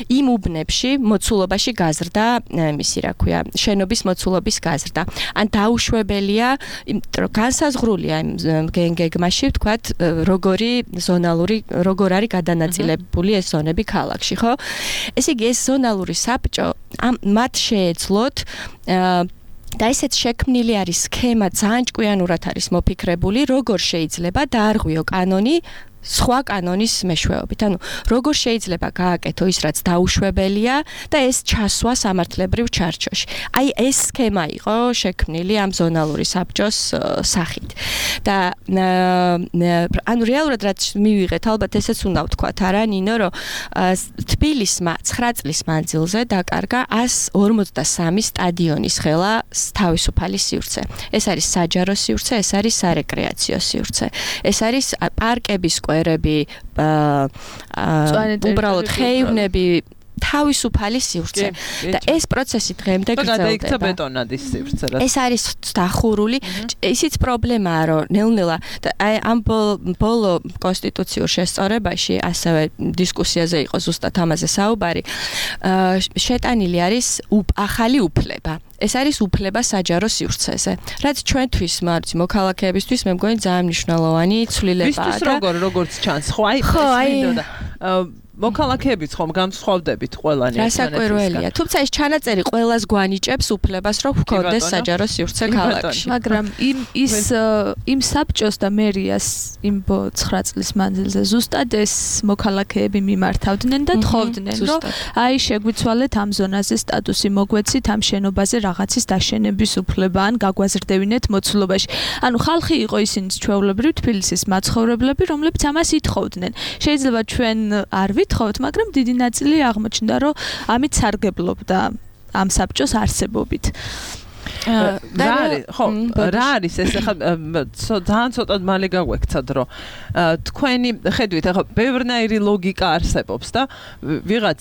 იმ უბნებში მოცულობაში გაზრდა, მისი რა ქვია, შენობის მოცულობის გაზრდა. ან დაუშვებელია, რომ განსაზღვრულია იმ გენგეგმაში, ვთქვათ, როგორი ზონალური, როგორ არის გადანაწილებული ეს ზონები ქალაქში, ხო? ესე იგი, ეს ზონალური საბჭო მათ შეეძლოთ და ესეც შექმნილი არის სქემა, ძალიან ჭკვიანურად არის მოფიქრებული, როგორ შეიძლება დაარღვიო კანონი სხვა კანონის მეშვეობით. ანუ როგორ შეიძლება გააკეთო ის, რაც დაუშვებელია და ეს ჩასვა სამართლებრივ ჩარჩოში. აი ეს სქემა იყო შექმნილი ამ ზონალური საბჭოს სახით. და ანუ რეალურად რაც მივიღეთ, ალბათ ესეც უნდა ვთქვათ, არა ნინო, რომ თბილისმა ცხრა წლის მანძილზე დაკარგა ასი ორმოცდასამი სტადიონის ხელა თავისუფალი სივრცე. ეს არის საჯარო სივრცე, ეს არის სარეკრეაციო სივრცე. ეს არის პარკების კვერები, უბრალოდ ხეივნები, თავისუფალი სივრცე. და ეს პროცესი დღემდე გრძელდება. გადაიქცა ბეტონადის სივრცე. ეს არის დახურული. ისიც პრობლემაა, რომ ნელ-ნელა ამ ბოლო კონსტიტუციურ შესწორებაში, ასევე დისკუსიაზე იყო ზუსტად ამაზე საუბარი, შეტანილი არის ახალი უფლება. ეს არის უფლება საჯარო სივრცეზე. რაც ჩვენთვის, მარცი, მოქალაქეებისთვის მე მგონი ძალიან მნიშვნელოვანი ცვლილებაა. ვისთვის როგორ როგორც ჩანს, ხო, აი ეს მინდოდა. მოქალაქეებიც ხომ განსხვავდებით ყველანი ერთმანეთისგან. რასაკვირველია. თუმცა ეს ჩანაწერი ყველას გვანიჭებს უფლებას, რომ ჰქონდეს საჯარო სივრცე ქალაქში. მაგრამ იმ ის იმ საბჭოს და მერიას იმ ცხრა წლის მანძილზე ზუსტად ეს მოქალაქეები მიმართავდნენ და თხოვდნენ, რომ აი შეგვიცვალეთ ამ ზონაზე სტატუსი, მოგვეცით ამ შენობაზე რაღაცის დაშენების უფლება ან გაგვაზრდევინეთ მოცულობაში. ანუ ხალხი იყო ისინი ჩვეულებრივ თბილისის მაცხოვრებლები, რომლებიც ამას ითხოვდნენ. შეიძლება ჩვენ არ ვითხოვთ, მაგრამ დიდი ნაწილი აღმოჩნდა, რომ ამით სარგებლობდა ამ საბჭოს არსებობით. რა არის, ხო, რა არის ეს ახლა ძალიან ცოტად მალე გაგვექცად, რომ თქვენი ხედვით ახლა ბევრნაირი ლოგიკა არსებობს და ვიღაც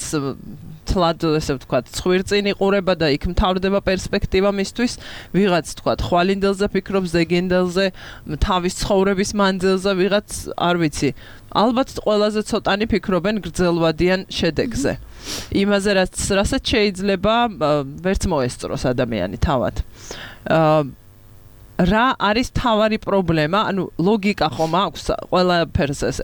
თლად ესე ვთქვათ, ცხვირწინ იყურება და იქ მთავრდება პერსპექტივა მისთვის, ვიღაც ვთქვათ, ხვალინდელზე ფიქრობს, ზეგენდელზე, თავის ცხოვრების მანძილზე, ვიღაც არ ვიცი. ალბათ ყველაზე ცოტანი ფიქრობენ გრძელვადიან შედეგზე. იმაზე, რაც რასაც შეიძლება ვერც მოესწროს ადამიანი თავად. რა არის თავარი პრობლემა? ანუ ლოგიკა ხომ აქვს ყველაფერს ეს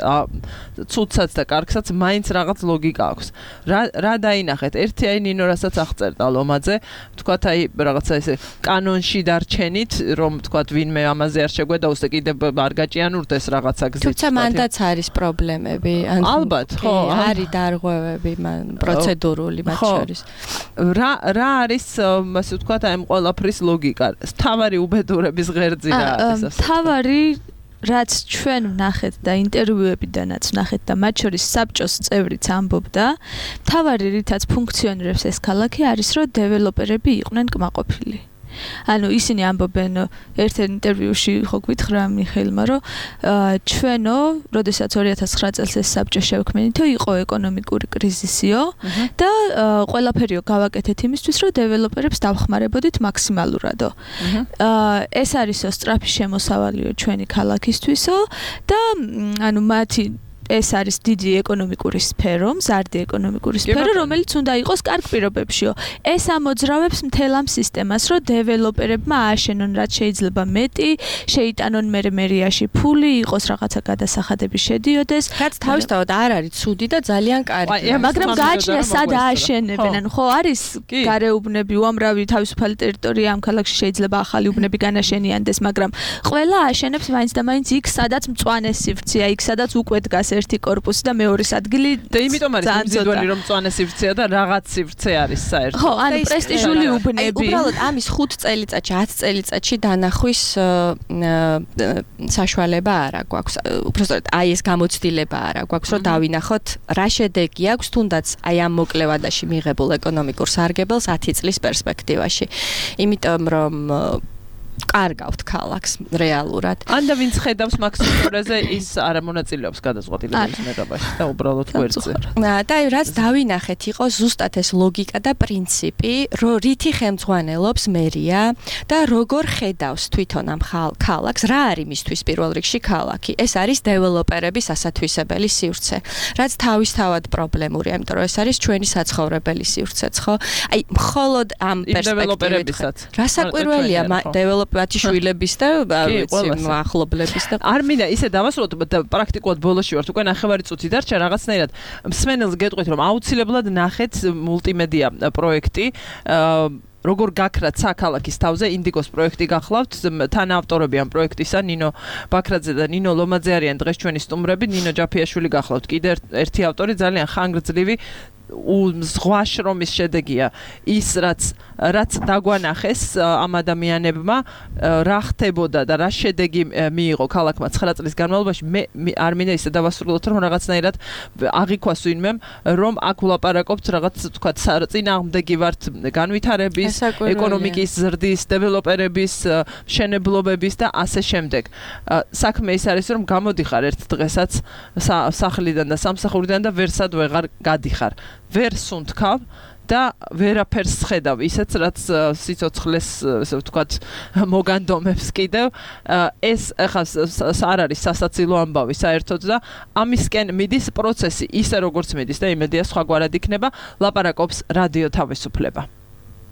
ცუდსაც და კარგსაც მაინც რაღაც ლოგიკა აქვს. რა რა დაინახეთ? ერთი აი ნინო რასაც აღწერდა ლომაძე, თქვათ აი რაღაცა ესე კანონში დარჩენით, რომ თქვათ ვინმე ამაზე არ შეგვედაოს და კიდევ არ გაჭიანურდეს რაღაცა გზით. თუმცა მანდაც არის პრობლემები. ალბათ, ხო, არის დარღვევები, პროცედურული მათ შორის. რა რა არის ასე ვთქვათ აი ამ ყველაფრის ლოგიკა? თავარი უბედურები თავარი რაც ჩვენ ვნახეთ და ინტერვიუებიდანაც ვნახეთ და მათ შორის საბჭოს წევრიც ამბობდა, თავარი რითაც ფუნქციონირებს ეს ქალაქი არის, რომ დეველოპერები იყვნენ კმაყოფილი. ანუ ისინი ამბობენ ერთ-ერთ ინტერვიუში ხო გითხრა მიხეილმა, რომ ჩვენო, როდესაც ორი ათას ცხრა წელს ეს საბჭო შევქმნითო, იყო ეკონომიკური კრიზისიო და ყველაფერიო გავაკეთეთ იმისთვის, რომ დეველოპერებს დავხმარებოდით მაქსიმალურადო. ეს არისო სწრაფი შემოსავალიო ჩვენი ქალაქისთვისო და ანუ მათი ეს არის დიდი ეკონომიკური სფერო, მზარდი ეკონომიკური სფერო, რომელიც უნდა იყოს კარგ პირობებშიო. ეს ამოძრავებს მთელ ამ სისტემას, რომ დეველოპერებმა ააშენონ რაც შეიძლება მეტი, შეიტანონ მერე მერიაში ფული, იყოს რაღაცა გადასახადები შედიოდეს. რაც თავისთავად არ არის ცუდი და ძალიან კარგია. მაგრამ გააჩნია სად ააშენებენ. ანუ ხო არის გარეუბნები, უამრავი თავისუფალი ტერიტორია ამ ქალაქში შეიძლება ახალი უბნები განაშენიანდეს, მაგრამ ყველა ააშენებს მაინც და მაინც იქ, სადაც მწვანე სივრცეა, იქ სადაც უკვე დგას ერთი კორპუსი და მეორეს ადგილი და იმიტომ არის იმძიდველი რომ მწვანე სივრცეა და რაღაც სივრცე არის საერთოდ. ხო, ანუ პრესტიჟული უბნები. უბრალოდ ამის ხუთ წელიწადში, ათი წელიწადში დანახვის საშუალება არ აქვს. უბრალოდ აი ეს გამოცდილება არ აქვს, რომ დავინახოთ რა შედეგი აქვს თუნდაც აი ამ მოკლე ვადაში მიღებულ ეკონომიკურ სარგებელს ათი წლის პერსპექტივაში. იმიტომ რომ კარგავთ ქალაქს რეალურად. ან და ვინც ხედავს მაქსიმუმურაზე ის არ მონაწილეობს გადაწყვეტილების მიღებაში და უბრალოდ გვერდზე. და რაც დავინახეთ იყო ზუსტად ეს ლოგიკა და პრინციპი, რომ რითი ხელმძღვანელობს მერია და როგორ ხედავს თვითონ ამ ქალაქს, რა არის მისთვის პირველ რიგში ქალაქი. ეს არის დეველოპერების ასათვისებელი სივრცე, რაც თავისთავად პრობლემურია, იმიტომ რომ ეს არის ჩვენი საცხოვრებელი სივრცეც, ხო? აი, მხოლოდ ამ პერსპექტივით. რასაკვირველია დეველოპერების მათი შვილების და ახლობლების და არ მინდა ისე დავასრულოთ და პრაქტიკულად ბოლოში ვართ უკვე ნახევარი წუთი დარჩა რაღაცნაირად მსმენელს გეტყვით რომ აუცილებლად ნახეთ მულტიმედია პროექტი როგორ გაქრათ საქალაქის თავზე ინდიგოს პროექტი გახლავთ თანაავტორები ამ პროექტისა ნინო ბაქრაძე და ნინო ლომაძე არიან დღეს ჩვენი სტუმრები ნინო ჯაფიაშვილი გახლავთ კიდე ერთი ავტორი ძალიან ხანგრძლივი ზღვა შრომის შედეგია ის რაც რაც დაგვანახეს ამ ადამიანებმა რა ხდებოდა და რა შედეგი მიიღო ქალაქმა ცხრა წლის განმავლობაში მე არ მინდა ისე დავასრულოთ რომ რაღაცნაირად აღიქვას ვინმემ რომ აქ ვლაპარაკობთ რაღაც თქვა წინააღმდეგი ვართ განვითარების ეკონომიკის ზრდის დეველოპერების მშენებლობების და ასე შემდეგ საქმე ის არის რომ გამოდიხარ ერთ დღესაც სახლიდან და სამსახურიდან და ვერსად ვეღარ გადიხარ ვერ სუნთქავ და ვერაფერს ხედავ ისეც რაც სიცოცხლეს ესე ვთქვათ მოგანდომებს კიდევ ეს ახლა არ არის სასაცილო ამბავი საერთოდ და ამისკენ მიდის პროცესი ისე როგორც მიდის და იმედია სხვაგვარად იქნება ლაპარაკობს რადიო თავისუფლება